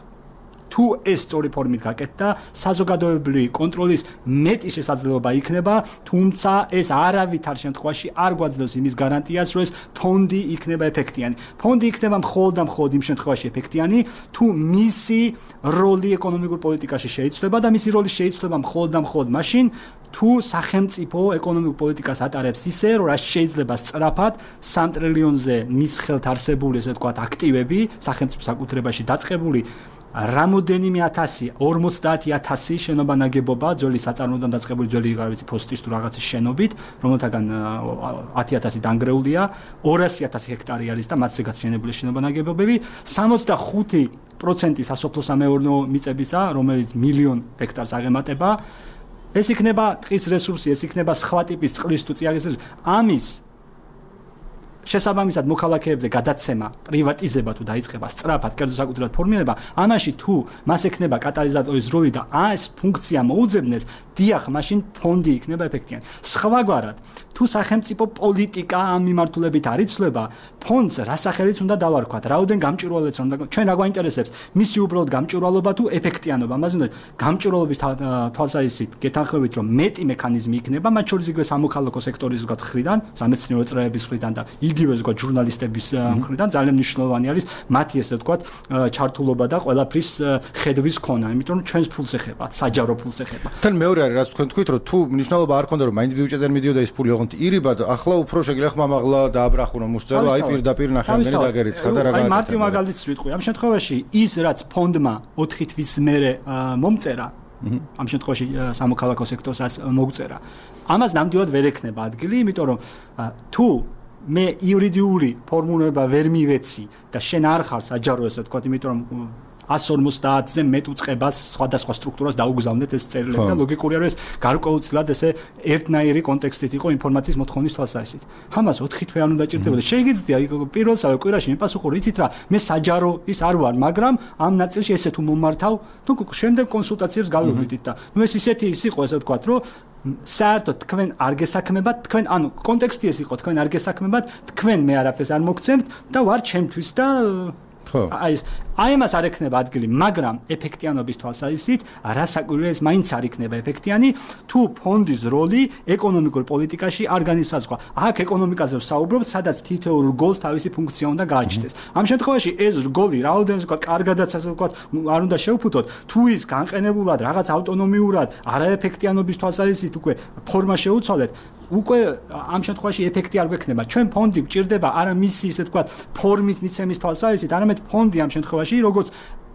B: თუ ეს სწორი ფორმით გაკეთდა, საზოგადოებრივი კონტროლის მეტი შესაძლებლობა იქნება, თუმცა ეს არავითარ შემთხვევაში არ გვაძლევს იმის გარანტიას, რომ ეს ფონდი იქნება ეფექტიანი. ფონდი იქნება მხოლოდ და მხოლოდ იმ შემთხვევაში ეფექტიანი, თუ მისი როლი ეკონომიკურ პოლიტიკაში შეიცვლება და მისი როლი შეიცვლება მხოლოდ და მხოლოდ მაშინ, თუ სახელმწიფო ეკონომიკურ პოლიტიკას ატარებს ისე, რომ რაც შეიძლება სწრაფად 3 ტრილიონზე მის ხელთ არსებული, ესე ვთქვათ, აქტივები სახელმწიფო საკუთრებაში დაწყებული რამოდენიმე 50,000 შენობა ნაგებობა ძველი საწარმოდან დაწყებული ძველი ფოსტის თუ რაღაცის შენობით, რომელთაგან 10,000 დანგრეულია, 200,000 ჰექტარი არის და მათზე გაშენებული შენობა ნაგებობები, 65% სასოფლო-სამეურნეო მიწებისა, რომელიც 1,000,000 ჰექტარს აღემატება. ეს იქნება ტყის რესურსი, ეს იქნება სხვა ტიპის წყლის თუ წიაღის რესურსი. ამის შესაბამისად მოქალაქეებზე გადაცემა, პრივატიზება თუ დაიწყება სწრაფად, კერძო საკუთრებად ფორმირება, ამაში თუ მას ექნება კატალიზატორის როლი და ეს ფუნქცია მოუძებნეს, დიახ, მაშინ ფონდი იქნება ეფექტიანი. სხვაგვარად, თუ სახელმწიფო პოლიტიკა ამ მიმართულებით არ იცვლება, ფონდს რასახელიც უნდა დავარქვათ, რაოდენ გამჭვირვალეც უნდა, ჩვენ რა გვაინტერესებს, მისი უბრალოდ გამჭვირვალობა თუ ეფექტიანობა. ამაზე უნდა გამჭვირვალობის თვალსაზრისით გეთანხმებით, რომ მეტი მექანიზმი იქნება, მათ შორის იგივე სამოქალაქო სექტორის მხრიდან, სამეცნიერო წრეების მხრიდან და იგივე ზოგადად ჟურნალისტების მხრიდან ძალიან მნიშვნელოვანი არის მათი ესე ვთქვათ ჩართულობა და ყველაფრის ხედვის ქონა, იმიტომ რომ ჩვენს ფულს ეხება, საჯარო ფულს ეხება.
A: თან მეორე არის რაც თქვენ თქვით, რომ თუ მნიშვნელობა არ ქონდა რომ მაინც ბიუჯეტიდან მიდიოდა ეს ფული, ოღონდ ირიბად, ახლა უფრო შეგიძლია ხმამაღლა დააბრახო რომ უშწერო, აი პირდაპირ ნახევარდენი დაგერიცხა და რა გააკეთა.
B: აი მარტივ მაგალითს ვიტყვი. ამ შემთხვევაში ის რაც ფონდმა 4 თვის მერე მომწერა, ამ შემთხვევაში სამოქალაქო სექტორს რაც მოგწერა, ამას ნამდვილად ვერ ექნება ადგილი, იმიტომ რომ თუ მე იურიდიული ფორმულება ვერ მივეცი და შენ არ ხარ საჯარო ესე ვთქვათ, იმიტომ რომ 150-ზე მეტ უწყებას სხვადასხვა სტრუქტურას დაუგზავნეთ ეს წერილები და ლოგიკურია რომ ეს გარკვეულწილად ესე ერთნაირი კონტექსტით იყო ინფორმაციის მოთხოვნის თვალსაზრისით. ამას 4 თვე არ უნდა ჭირდებოდა. შეგიძლია პირველსავე კვირაში მეპასუხო იცით რა, მე საჯარო ის არ ვარ, მაგრამ ამ ნაწილში ესე თუ მომართავ, თუ შემდეგ კონსულტაციებს გავივიდით და ნუ ეს ისეთი ის იყო ესე ვთქვათ, რომ საერთოდ თქვენ არ გესაქმებათ, თქვენ ანუ კონტექსტი ეს იყო, თქვენ არ გესაქმებათ, თქვენ მე არაფერს არ მოგცემთ და ვარ ჩემთვის და აი მას არ ექნება ადგილი, მაგრამ ეფექტიანობის თვალსაზრისით რასაკვირველია ეს მაინც არ იქნება ეფექტიანი, თუ ფონდის როლი ეკონომიკურ პოლიტიკაში არ განისაზღვრა. აქ ეკონომიკაზე ვსაუბრობთ, სადაც თითოეულ რგოლს თავისი ფუნქცია უნდა გააჩნდეს. ამ შემთხვევაში ეს რგოლი რაოდენს ვთქვათ, კარგადაც ასე ვთქვათ, არ უნდა შევფუთოთ, თუ ის განყენებულად რაღაც ავტონომიურად არაეფექტიანობის თვალსაზრისით უკვე ფორმა შეუცვალეთ, უკვე ამ შემთხვევაში ეფექტი არ გვექნება. ჩვენ ფონდი გვჭირდება არა მისი ისე ვთქვათ, ფორმის მიცემის თვალსაზრისით, არამედ ფონდი ამ შემთხვევაში როგორც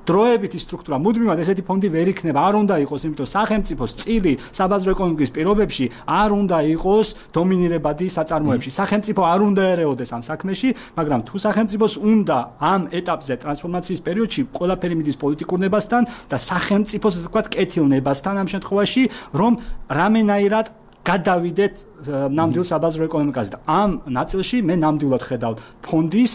B: დროებითი სტრუქტურა, მუდმივად ესეთი ფონდი ვერ იქნება, არ უნდა იყოს, იმიტომ სახელმწიფოს წილი საბაზრო ეკონომიკის პირობებში არ უნდა იყოს დომინირებადი საწარმოებში. სახელმწიფო არ უნდა ერეოდეს ამ საქმეში, მაგრამ თუ სახელმწიფოს უნდა ამ ეტაპზე ტრანსფორმაციის პერიოდში ყველაფერი მიდის პოლიტიკურ ნებასთან და სახელმწიფოს ასე ვთქვათ, კეთილნებასთან ამ შემთხვევაში, რომ რამენაირად გადავიდეთ ნამდვილ საბაზრო ეკონომიკაზე და ამ ნაწილში მე ნამდვილად ხედავ ფონდის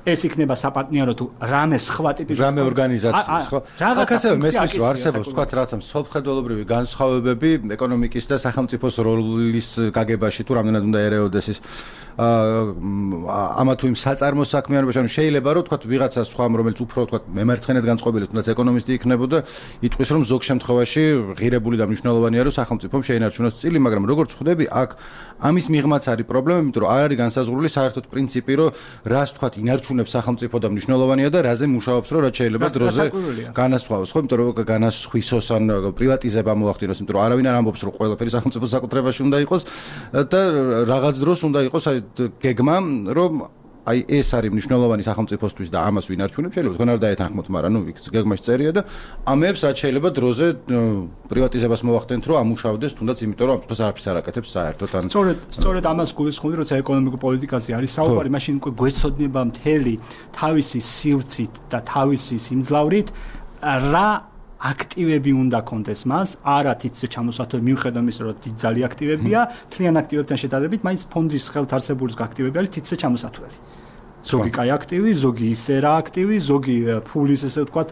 B: ეს იქნება საპარტნიორო თუ რამე სხვა ტიპის
A: რამე ორგანიზაციის ხო? რაღაცა მესმის რომ არსებობს თქვა რაღაცა მსოფლმხედველობრივი განსხვავებები ეკონომიკის და სახელმწიფოს როლის გაგებაში თუ რამდენად უნდა ერეოდეს ის ამა თუ იმ საწარმოს საქმიანობაში, ანუ შეიძლება რომ თქვა ვიღაცა სხვა რომელიც უფრო თქვა მემარცხენედ განწყობილი თუნდაც ეკონომისტი იქნებოდა, იტყვის რომ ზოგ შემთხვევაში ღირებული და მნიშვნელოვანია რომ სახელმწიფომ შეინარჩუნოს წილი, მაგრამ როგორც ხვდები, აქ ამის მიღმაც არის პრობლემა, იმიტომ რომ არ არის განსაზღვრული საერთოდ პრინციპი, რომ რას თქვა ინარჩუნებს სახელმწიფო და მნიშვნელოვანია და რაზე მუშაობს, რომ რაც შეიძლება დროზე განასხვავოს, ხო, იმიტომ რომ განასხვისოს ან პრივატიზება მოახდინოს, იმიტომ რომ არავინ არ ამბობს რომ ყველაფერი სახელმწიფოს საკუთრებაში უნდა იყოს და რაღაც დროს უნდა იყოს გეგმა, რომ აი ეს არის მნიშვნელოვანი სახელმწიფოსთვის და ამას ვინ არჩუნებს, შეიძლება თქვენ არ დაეთანხმოთ, მაგრამ ნუ იქ გეგმაში წერია და ამებს რაც შეიძლება დროზე პრივატიზებას მოახდენთ, რომ ამუშავდეს, თუნდაც იმიტომ რომ ამას არაფერს არ აკეთებს საერთოდ. ან
B: სწორედ ამას გულისხმობდი, როცა ეკონომიკურ პოლიტიკაზე არის საუბარი, მაშინ უკვე გვეცოდნება მთელი თავისი სივრცით და თავისი სიმძლავრით რა აქტივები უნდა კონდეს მას, არა თითზე ჩამოსათვე მიუხედავად იმისა, რომ ძალიან აქტივებია, თლიან აქტივებთან შედარებით, მაინც ფონდის ხელთარსებულის აქტივები არის თითზე ჩამოსათვლელი. ზოგი კაი აქტივი, ზოგი ისე რა აქტივი, ზოგი ფულის ესე ვთქვათ,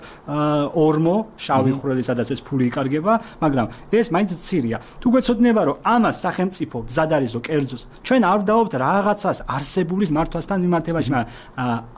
B: ორმო, შავი ხვრელი, სადაც ეს ფული იკარგება, მაგრამ ეს მაინც მცირეა. თუ გვეცოდნება, რომ ამას სახელმწიფო მზად არის ზო კერძოს, ჩვენ არ ვდაობთ რაღაცას არსებულის მართვასთან მიმართებაში, მაგრამ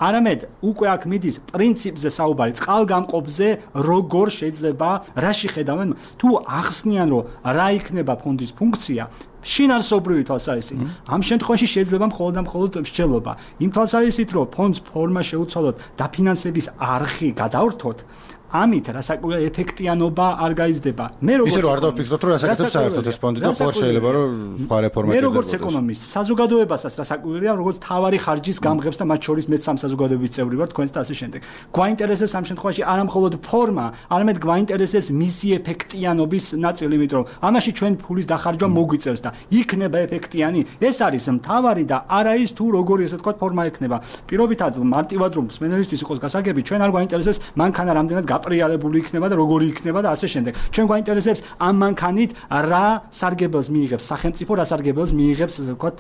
B: არამედ უკვე აქ მიდის პრინციპზე საუბარი, წყალგამყოფზე, როგორ შეიძლება, რაში ხედავენ, თუ ახსნიან, რომ რა იქნება ფონდის ფუნქცია, შინაარსობრივი თვალსაზრისით. ამ შემთხვევაში შეიძლება მხოლოდ მსჯელობა. იმ თვალსაზრისით, რომ ფონდს ფორმა შეუცვალოთ და ფინანსების არხი გადავრთოთ, ამით რასაკვირველია ეფექტიანობა არ გაიზრდება. მე როგორც
A: ისე რომ არ დავფიქროთ, რომ რასაკეთებს საერთოდ ეს ფონდი და ხო შეიძლება რომ სხვა რეფორმა
B: მე როგორც ეკონომისტ, საზოგადოებასაც რასაკვირველია, როგორც თავარი ხარჯის გამღებს და მათ შორის მეც სამ საზოგადოების წევრი ვარ, თქვენც და ასე შემდეგ. გვაინტერესებს ამ შემთხვევაში არა მხოლოდ ფორმა, არამედ გვაინტერესებს მისი ეფექტიანობის ნაწილი, იმიტომ რომ ამაში ჩვენ ფულის დახარჯვა მოგვიწევს და იქნება ეფექტიანი. ეს არის მთავარი და არა ის თუ როგორი ესე თქვა ფორმა ექნება. პირობითად მარტივად რომ მსმენელისთვის იყოს გასაგები, ჩვენ არ გვაინტერესებს მანქანა რამდენად აპრიალებული იქნება და როგორი იქნება და ასე შემდეგ. ჩვენ გვაინტერესებს ამ მანქანით რა სარგებელს მიიღებს სახელმწიფო, რა სარგებელს მიიღებს ასე ვთქვათ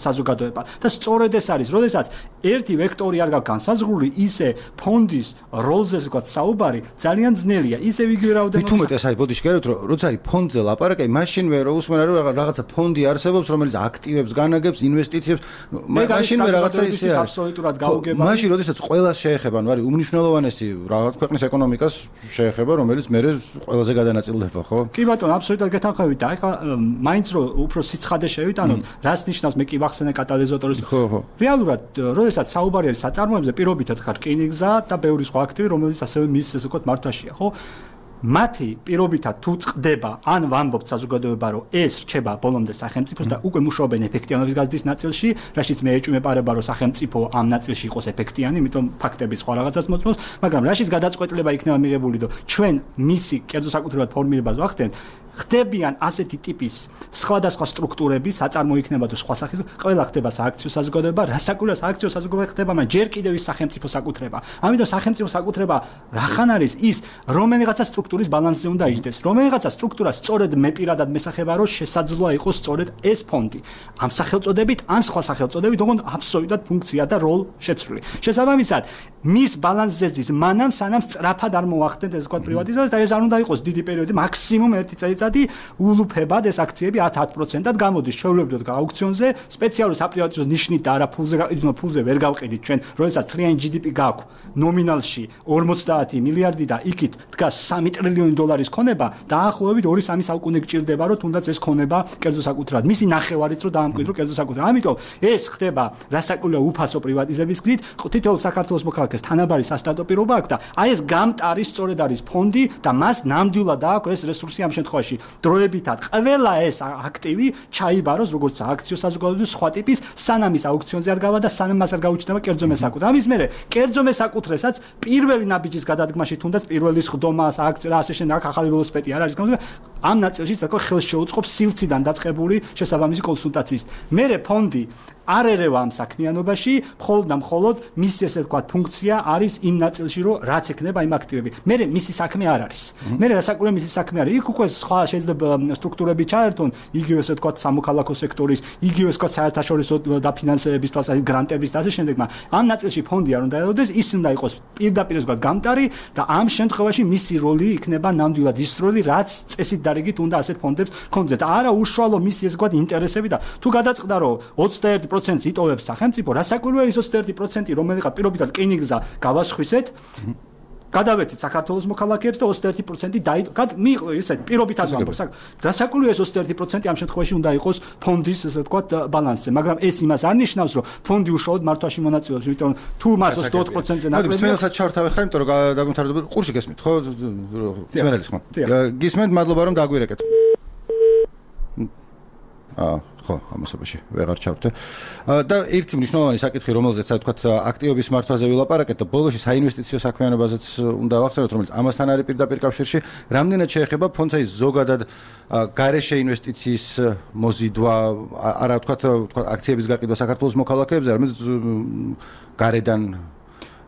B: საზოგადოება. და სწორედ ეს არის, როდესაც ერთი ვექტორი არ გაქვს განსაზღვრული, ისე ფონდის როლზე ასე ვთქვათ საუბარი ძალიან ძნელია. ისე იგივე რაოდენობა.
A: მით უმეტეს აი ბოდიში გეროთ, რომ როცა არის ფონდზე ლაპარაკი, მაშინვე რომ უსმენ რომ რაღაცა ფონდი არსებობს, რომელიც აქტივებს, განაგებს, ინვესტიციებს, მაშინვე რაღაცა ისე არის.
B: აბსოლუტურად გაუგება.
A: მაშინ როდესაც ყველას შეეხება, ანუ არის უმნიშვნელოვანესი რაღაც ქვეყნის ეკონომიკას შეეხება, რომელიც მე ყველაზე გადანაწილდება, ხო?
B: კი ბატონო, აბსოლუტურად გეთანხმებით და ეხლა მაინც რომ უფრო სიცხადე შევიტანოთ, რას ნიშნავს მე კი ვახსენე კატალიზატორის.
A: ხო.
B: რეალურად, როდესაც საუბარი არის საწარმოებზე, პირობითად ხარ რკინიგზა და ბევრი სხვა აქტივი, რომელიც ასევე მის ესე ვთქვათ მართვაშია, ხო? მათი პირობითად თუ წდება, ან ვამბობთ საზოგადოება, რომ ეს რჩება ბოლომდე სახელმწიფოს და უკვე მუშაობენ ეფექტიანობის გაზრდის ნაწილში, რაშიც მე ეჭვმეპარება, რომ სახელმწიფო ამ ნაწილში იყოს ეფექტიანი, იმიტომ ფაქტები სხვა რაღაცას მოწმობს, მაგრამ რაშიც გადაწყვეტილება იქნება მიღებული, რომ ჩვენ მისი კერძო საკუთრებად ფორმირებას ვახდენთ, ხდებიან ასეთი ტიპის სხვადასხვა სტრუქტურები, საწარმო იქნება თუ სხვა სახის, ყველა ხდება სააქციო საზოგადოება, რასაკვირველია სააქციო საზოგადოება ხდება, მაგრამ ჯერ კიდევ ის სახელმწიფო საკუთრება. ამიტომ სახელმწიფო საკუთრება რახან არის ის, რომელიღაცა სტრუქტურის ბალანსზე უნდა იჯდეს, რომელიღაცა სტრუქტურა სწორედ მე პირადად მესახება, რომ შესაძლოა იყოს სწორედ ეს ფონდი. ამ სახელწოდებით, ან სხვა სახელწოდებით, ოღონდ აბსოლუტურად ფუნქცია და როლ შეცვლილი. შესაბამისად, მის ბალანსზე ზის მანამ სანამ სწრაფად არ მოახდენთ ეს თქვა პრივატიზაცია და ეს არ უნდა იყოს დიდი პერიოდი, მაქსიმუმ 1 წელიწადი ულუფებად ეს აქციები 10% გამოდის. შევლებდოთ აუქციონზე, სპეციალური საპრივატიზაციო ნიშნით და არა ფულზე ვერ გავყიდით ჩვენ, როდესაც თლიანი GDP გაქვს ნომინალში 50 მილიარდი და იქით დგას 3 ტრილიონი დოლარის ქონება, დაახლოებით 2-3 საუკუნე გჭირდება, რომ თუნდაც ეს ქონება კერძო საკუთრად, მისი ნახევარიც რომ დაამკვიდრო კერძო საკუთრად. ამიტომ ეს ხდება რასაკვირველია უფასო პრივატიზების გზით, თითოეულ საქართველოს მოქალაქეს თანაბარი სასტარტო პირობა აქვს და აი ეს გამტარი სწორედ არის ფონდი და მას ნამდვილად აქვს ეს რესურსი ამ შემთხვევაში. დროებითად ყველა ეს აქტივი ჩაიბაროს როგორც აქციო საზოგადოების სხვა ტიპის სანამ ის აუქციონზე არ გავა და სანამ მას არ გაუჩნდება კერძო მესაკუთრე. ამის მერე კერძო მესაკუთრესაც პირველი ნაბიჯის გადადგმაში თუნდაც პირველი სხდომა აქცია და ასე შემდეგ ახალი ველოსიპედი არ არის გამოდგა. ამ ნაწილში საკო ხელს შეუწყობს სივრციდან დაწყებული შესაბამისი კონსულტაციის. მერე ფონდი არ ერევა ამ საქმიანობაში, მხოლოდ და მხოლოდ მისი ესე ვთქვათ ფუნქცია არის იმ ნაწილში, რომ რაც ექნება იმ აქტივები. მერე მისი საქმე არ არის. მერე რასაკვირველია მისი საქმე არის. იქ უკვე სხვა შეიძლება სტრუქტურები ჩაერთონ, იგივე ესე ვთქვათ სამოქალაქო სექტორის, იგივე ესე ვთქვათ საერთაშორისო დაფინანსების თვალსაზრისით გრანტების და ასე შემდეგ, მაგრამ ამ ნაწილში ფონდი არ უნდა ელოდეს, ის უნდა იყოს პირდაპირ ესე ვთქვათ გამტარი და ამ შემთხვევაში მისი როლი იქნება ნამდვილად ის როლი, რაც წესით დარიგით უნდა ასეთ ფონდებს კონდეთ. არა უშუალო მისი ესე ვთქვათ ინტერესები და თუ გადაწყდა რომ 21% იტოვებს სახელმწიფო, რასაკვირველია ის 21%, რომელიღაც პირობითად რკინიგზა გავასხვისეთ, გადავეცით საქართველოს მოქალაქეებს და 21% მიიღო ისეთ პირობითად ვამბობ. რასაკვირველია ეს 21% ამ შემთხვევაში უნდა იყოს ფონდის ესე ვთქვათ ბალანსზე, მაგრამ ეს იმას არ ნიშნავს, რომ ფონდი უშუალოდ მართვაში მონაწილეობს, იმიტომ თუ მას 20%-ზე ნაკლებია.
A: მოდით ჩავთავე ხარ, იმიტომ რომ დაგმთავრდება ყურში გესმით, ხო? ძმენელის ხო? გისმენთ, მადლობა რომ დაგვირეკეთ. ხო, ამასობაში ვეღარ ჩავდე. და ერთი მნიშვნელოვანი საკითხი, რომელზეც ასე ვთქვათ, აქტივების მართვაზე ვილაპარაკეთ და ბოლოში საინვესტიციო საქმიანობაზეც უნდა ვახსენოთ, რომელიც ამასთან არის პირდაპირ კავშირში, რამდენად შეეხება ფონდს აი ზოგადად გარეშე ინვესტიციის მოზიდვა, არა ვთქვათ, აქციების გაყიდვა საქართველოს მოქალაქეებზე, არამედ გარედან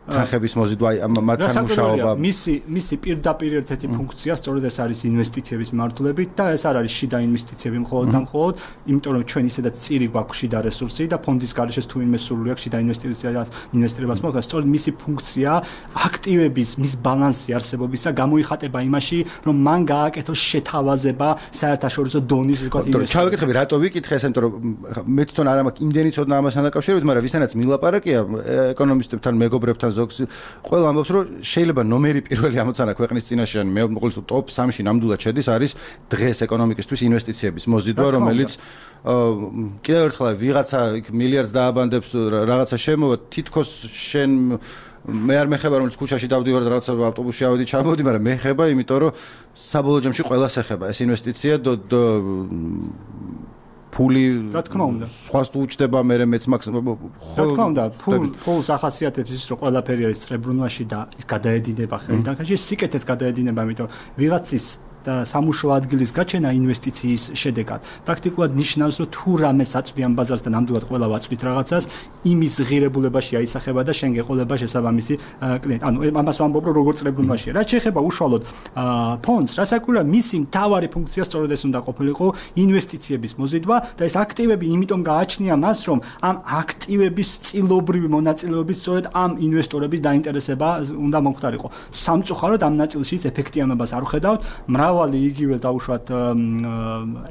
A: თანხების მოზიდვა, მათთან მუშაობა.
B: მისი პირდაპირ ერთ-ერთი ფუნქცია სწორედ ეს არის ინვესტიციების მართულებით და ეს არ არის შიდა ინვესტიციები მხოლოდ და მხოლოდ, იმიტომ რომ ჩვენ ისედაც წირი გვაქვს შიდა რესურსი და ფონდის გარეშე თუ ინვე სურვილი აქვს შიდა ინვესტირებას მოხდეს, სწორედ მისი ფუნქცია აქტივების მის ბალანსი არსებობისა გამოიხატება იმაში, რომ მან გააკეთოს შეთავაზება საერთაშორისო დონის ისე ვთქვათ ინვესტიციებში.
A: ჩავეკითხები, რატო ვიკითხე ეს, იმიტომ რომ მე თვითონ არ მაქვს იმდენი ცოდნა ამასთან დაკავშირებით, მაგრამ ვისთანაც მილაპარაკია ეკონომისტებთან, მეგობრებთან ყველა ამბობს, რომ შეიძლება ნომერი პირველი ამოცანა ქვეყნის წინაშე, ან მე მოგულს ტოპ 3-ში ნამდვილად შედის, არის დღეს ეკონომიკისთვის ინვესტიციების მოზიდვა, რომელიც კიდევ ერთხელ ვიღაცა მილიარდს დააბანდებს რაღაცა შემოვა, თითქოს შენ მე არ მეხება, რომელიც ქუჩაში დავდივარ და რაღაცა ავტობუსში ავედი ჩამოვდი, მაგრამ მეხება, იმიტომ რომ საბოლოო ჯამში ყველას ეხება ეს ინვესტიცია ფული
B: რა თქმა უნდა
A: სხვას თუ უჩდება მე მეც მაქსიმუმ
B: რა თქმა უნდა ფულს ახასიათებს ის რომ ყველაფერი არის წრებრუნვაში და ის გადაედინება ხელიდან ხანში სიკეთეს გადაედინება იმიტომ ვიღაცის და სამუშაო ადგილის გაჩენა ინვესტიციის შედეგად პრაქტიკულად ნიშნავს რომ თუ რამე საწვდიან ბაზარს და ნამდვილად ყველა ვაწვდით რაღაცას იმის ღირებულებაში აისახება და შენ გეყოლება შესაბამისი კლიენტი ანუ ამას ვამბობ რომ როგორ წრებრუნვაშია რაც შეეხება უშუალოდ ფონდს რასაკვირველია მისი მთავარი ფუნქცია სწორედ ეს უნდა ყოფილიყო ინვესტიციების მოზიდვა და ეს აქტივები იმიტომ გააჩნია მას რომ ამ აქტივების წილობრივი მონაწილეობით სწორედ ამ ინვესტორების დაინტერესება უნდა მომხდარიყო სამწუხაროდ ამ ნაწილშიც ეფექტიანობას არ ვხედავთ მრავალი იგივე დაუშვათ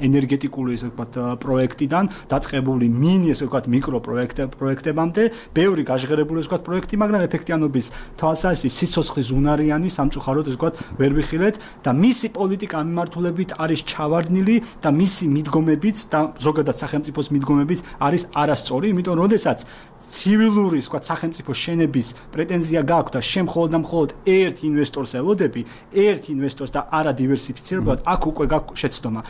B: ენერგეტიკული ესე ვთქვათ პროექტიდან დაწყებული მინი ესე ვთქვათ მიკრო პროექტებამდე ბევრი გაჟღერებული ესე ვთქვათ პროექტი მაგრამ ეფექტიანობის თვალსაზრისით სიცოცხლის უნარიანი სამწუხაროდ ესე ვთქვათ ვერ ვიხილეთ და მისი პოლიტიკა მიმართულებით არის ჩავარდნილი და მისი მიდგომებიც და ზოგადად სახელმწიფოს მიდგომებიც არის არასწორი იმიტომ რომ როდესაც ცივილური ვთქვათ სახელმწიფო შენების პრეტენზია გააქვს და შემხოლოდ და მხოლოდ ერთ ინვესტორს ელოდები ერთ ინვესტორს და არა დივერსიფიკაციას დაივერსიფიცირებულად აქ უკვე გაქვს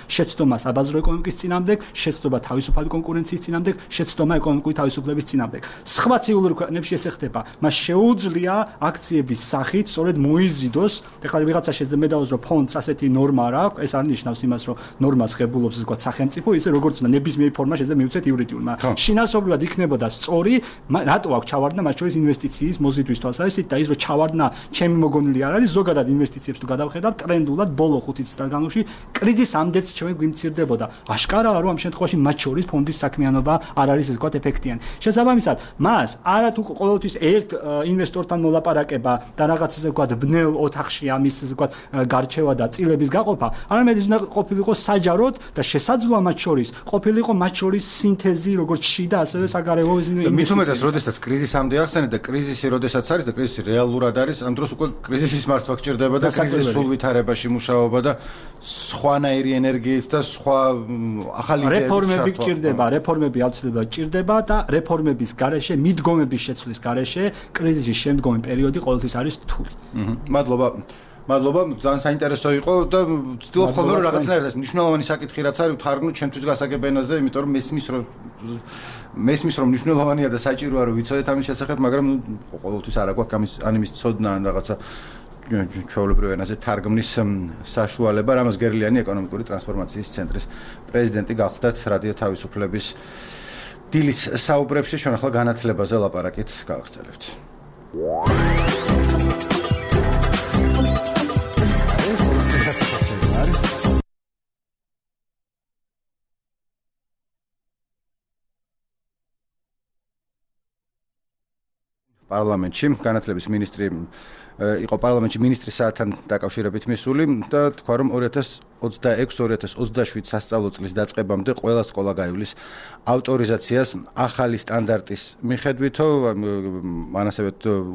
B: შეცდომა საბაზრო ეკონომიკის წინამდებ, შეცდომა თავისუფალი კონკურენციის წინამდებ, შეცდომა ეკონომიკური თავისუფლების წინამდებ. სხვა ცივილურ ქვეყნებში ეს ხდება, მას შეუძლია აქციების სახით სწორედ მოიზიდოს, ეხლა ვიღაცა შეიძლება მე დავუძრო ფონდს ასეთი ნორმა რა აქვს, ეს არ ნიშნავს იმას, რომ ნორმას ღებულობს ზოგადად სახელმწიფო, ისე როგორც უნდა ნებისმიერი ფორმა შეიძლება მივცეთ იურიდიულმა. შინაარსობრივად იქნებოდა სწორი, რატო აქვს ჩავარდნა მათ შორის ინვესტიციის მოზიდვის თვალსაზრისით და ის რომ ჩავარდნა ჩემი მოგონილი არ არის, ზოგადად ინვესტიციებს თუ გადავხედავ ტრენდულად ბოლო 5 წლის განმავლობაში კრიზისამდეც ჩვენ გვიმცირდებოდა. აშკარაა რომ ამ შემთხვევაში მათ შორის ფონდის საქმიანობა არ არის ეს ვთქვათ ეფექტიანი. შესაბამისად, მას არა თუ ყოველთვის ერთ ინვესტორთან მოლაპარაკება და რაღაც ესე ვთქვათ ბნელ ოთახში ამის ესე ვთქვათ გარჩევა და წილების გაყოფა, არამედ ის უნდა ყოფილიყო საჯაროდ და შესაძლოა მათ შორის ყოფილიყო მათ შორის სინთეზი როგორც შიდა ასევე საგარეო ინვესტიციები.
A: მით უმეტეს როდესაც კრიზისამდე ახსენეთ და კრიზისი როდესაც არის და კრიზისი რეალურად არის, ამ დროს უკვე კრიზისის მართვა გჭირდება და კრიზისის სულ ვითარებაში მუშაობა და სხვანაირი ენერგიით და სხვა ახალი
B: რეფორმები გჭირდება, რეფორმები აუცილებლად გჭირდება და რეფორმების გარეშე, მიდგომების შეცვლის გარეშე კრიზისის შემდგომი პერიოდი ყოველთვის არის რთული.
A: მადლობა, ძალიან საინტერესო იყო და ვცდილობ ხოლმე რომ რაღაცნაირად ეს მნიშვნელოვანი საკითხი რაც არის ვთარგმნო ჩემთვის გასაგებ ენაზე, იმიტომ რომ მესმის რომ მნიშვნელოვანია და საჭიროა რომ ვიცოდეთ ამის შესახებ, მაგრამ ყოველთვის არ აქვს ამის ცოდნა ან რაღაცა ჩვეულებრივ ენაზე თარგმნის საშუალება. რამაზ გერლიანი ეკონომიკური ტრანსფორმაციის ცენტრის პრეზიდენტი გახლდათ რადიო თავისუფლების დილის საუბრებში. ჩვენ ახლა განათლებაზე ლაპარაკით გავაგრძელებთ. პარლამენტში განათლების მინისტრი იყო პარლამენტში მინისტრის საათთან დაკავშირებით მისული და თქვა რომ 2026-2027 სასწავლო წლის დაწყებამდე ყველა სკოლა გაივლის ავტორიზაციას ახალი სტანდარტის მიხედვითო. მან ასევე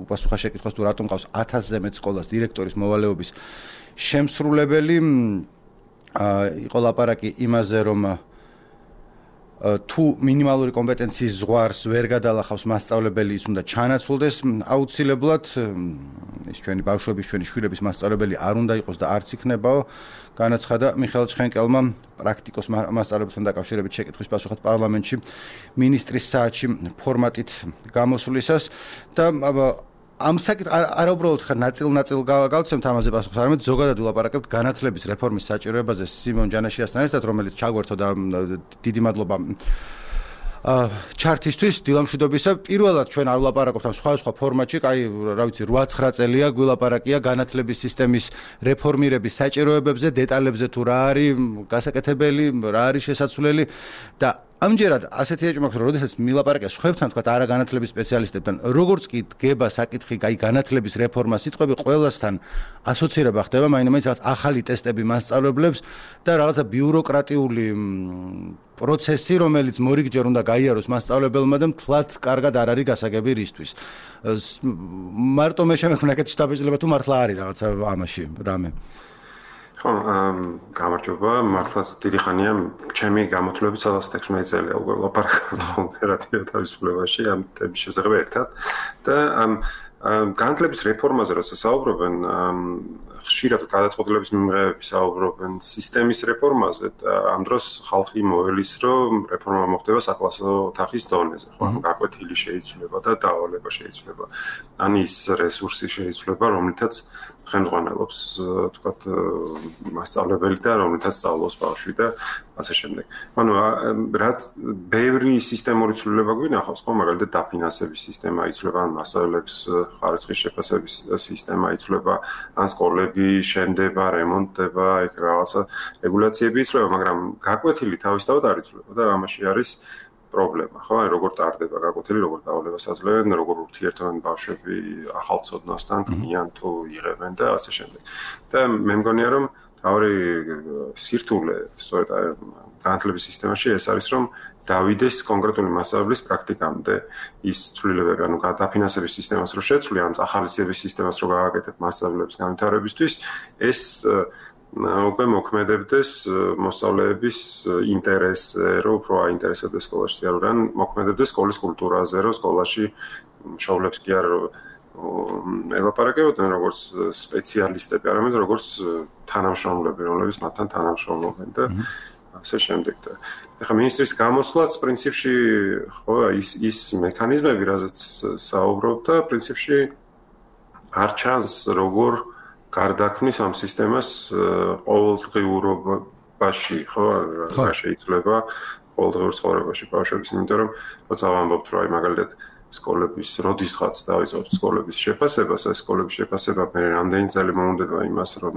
A: უპასუხა შეკითხვას თუ რატომ ყავს 1000-ზე მეტ სკოლას დირექტორის მოვალეობის შემსრულებელი. იყო ლაპარაკი იმაზე რომ თუ მინიმალური კომპეტენციის ზღვარს ვერ გადალახავს მასწავლებელი, ის უნდა ჩანაცვლდეს აუცილებლად. ის ჩვენი ბავშვების, ჩვენი შვილების მასწავლებელი არ უნდა იყოს და არც იქნებაო. განაცხადა მიხეილ ჩხენკელმა პრაქტიკოს მასწავლებელთან დაკავშირებით შეკითხვის პასუხად პარლამენტში მინისტრის საათში ფორმატით გამოსვლისას და ამ საკითხ არა უბრალოდ ხარ ნაწილ გავცემთ ამაზე პასუხს, არამედ ზოგადად ვილაპარაკებთ განათლების რეფორმის საჭიროებაზე სიმონ ჯანაშიასთან ერთად, რომელიც ჩაგვერთო და დიდი მადლობა ჩარტისთვის დილამშვიდობისა. პირველად ჩვენ არ ვილაპარაკობთ ამ სხვა ფორმატში, აი რა ვიცი 8-9 წელია გვილაპარაკია განათლების სისტემის რეფორმირების საჭიროებებზე, დეტალებზე თუ რა არის გასაკეთებელი, რა არის შესაძლებელი და ამჯერად ასეთი ეჭვმა აქვს, რომ როდესაც მილაპარაკია სხვებთან, თქვა არა განათლების სპეციალისტებთან, როგორც კი დგება საკითხი აი განათლების რეფორმა, სიტყვები ყველასთან ასოცირება ხდება, მაინც რაღაც ახალი ტესტები მასწავლებლებს და რაღაცა ბიუროკრატიული პროცესი, რომელიც მორიგჯერ უნდა გაიაროს მასწავლებელმა და მთლად კარგად არ არის გასაგები რისთვის. მარტო მე შემექმნა კეთ შტაბეჭდილება თუ მართლა არის რაღაცა ამაში რამე.
D: გამარჯობა, მართლაც დიდი ხანია ჩემი გამოთვლებით 16 წელია უკვე ლაპარაკობთ რადიო თავისუფლებაში ამ თემის შესახებ ერთად და განათლების რეფორმაზე როცა საუბრობენ, ხშირად გადაწყვეტილების მიღებები საუბრობენ სისტემის რეფორმაზე და ამ დროს ხალხი მოელის, რომ რეფორმა მოხდება საკლასო ოთახის დონეზე, ხო, გაკვეთილი შეიცვლება და დავალება შეიცვლება. ან ის რესურსი შეიცვლება, რომლითაც ხელმძღვანელობს, თქვათ, მასწავლებელი და რომლითაც სწავლობს ბავშვი და ასე შემდეგ. ანუ რაც ბევრი სისტემური ცვლილება გვინახავს, ხო, მაგალითად დაფინანსების სისტემა იცვლება, ან მასწავლებლების ხარისხის შეფასების სისტემა იცვლება, ან სკოლები შენდება, რემონტდება, იქ რაღაცა რეგულაციები იცვლება, მაგრამ გაკვეთილი თავისთავად არ იცვლება და ამაში არის პრობლემა, ხო? აი როგორ ტარდება გაკვეთილი, როგორ დავალებას აძლევენ, როგორ ურთიერთობენ ბავშვები ახალ ცოდნასთან, ქმნიან თუ იღებენ და ასე შემდეგ. და მე მგონია რომ თავი სირთულე სწორედ განათლების სისტემაში ეს არის რომ დავიდეს კონკრეტული მასწავლებლის პრაქტიკამდე ის ცვლილებები, ანუ დაფინანსების სისტემას რო შეცვლიან, ახალისების სისტემას რო გააკეთებ მასწავლებლების განვითარებისთვის, ეს უკვე მოქმედებდეს მოსწავლეების ინტერესზე, რომ უფრო აინტერესებდეს სკოლაში, ან მოქმედებდეს სკოლის კულტურაზე, რომ სკოლაში მშობლებს კი არ ელაპარაკებოდნენ როგორც სპეციალისტები, არამედ როგორც თანამშრომლები, რომლებიც მათთან თანამშრომლობენ და ასე შემდეგ. ეხლა მინისტრის გამოსვლაც პრინციპში ხო ის მექანიზმები, რაზეც საუბრობთ და პრინციპში არ ჩანს როგორ გარდაქმნის ამ სისტემას ყოველდღიურობაში, ხო, რა შეიძლება ყოველდღიურ ცხოვრებაში ბავშვების, იმიტომ რომ როცა ვამბობთ, რომ აი მაგალითად სკოლების როდისღაც დავიწყებთ სკოლების შეფასებას, ეს სკოლების შეფასება მე რამდენი წელი მოუნდება იმას, რომ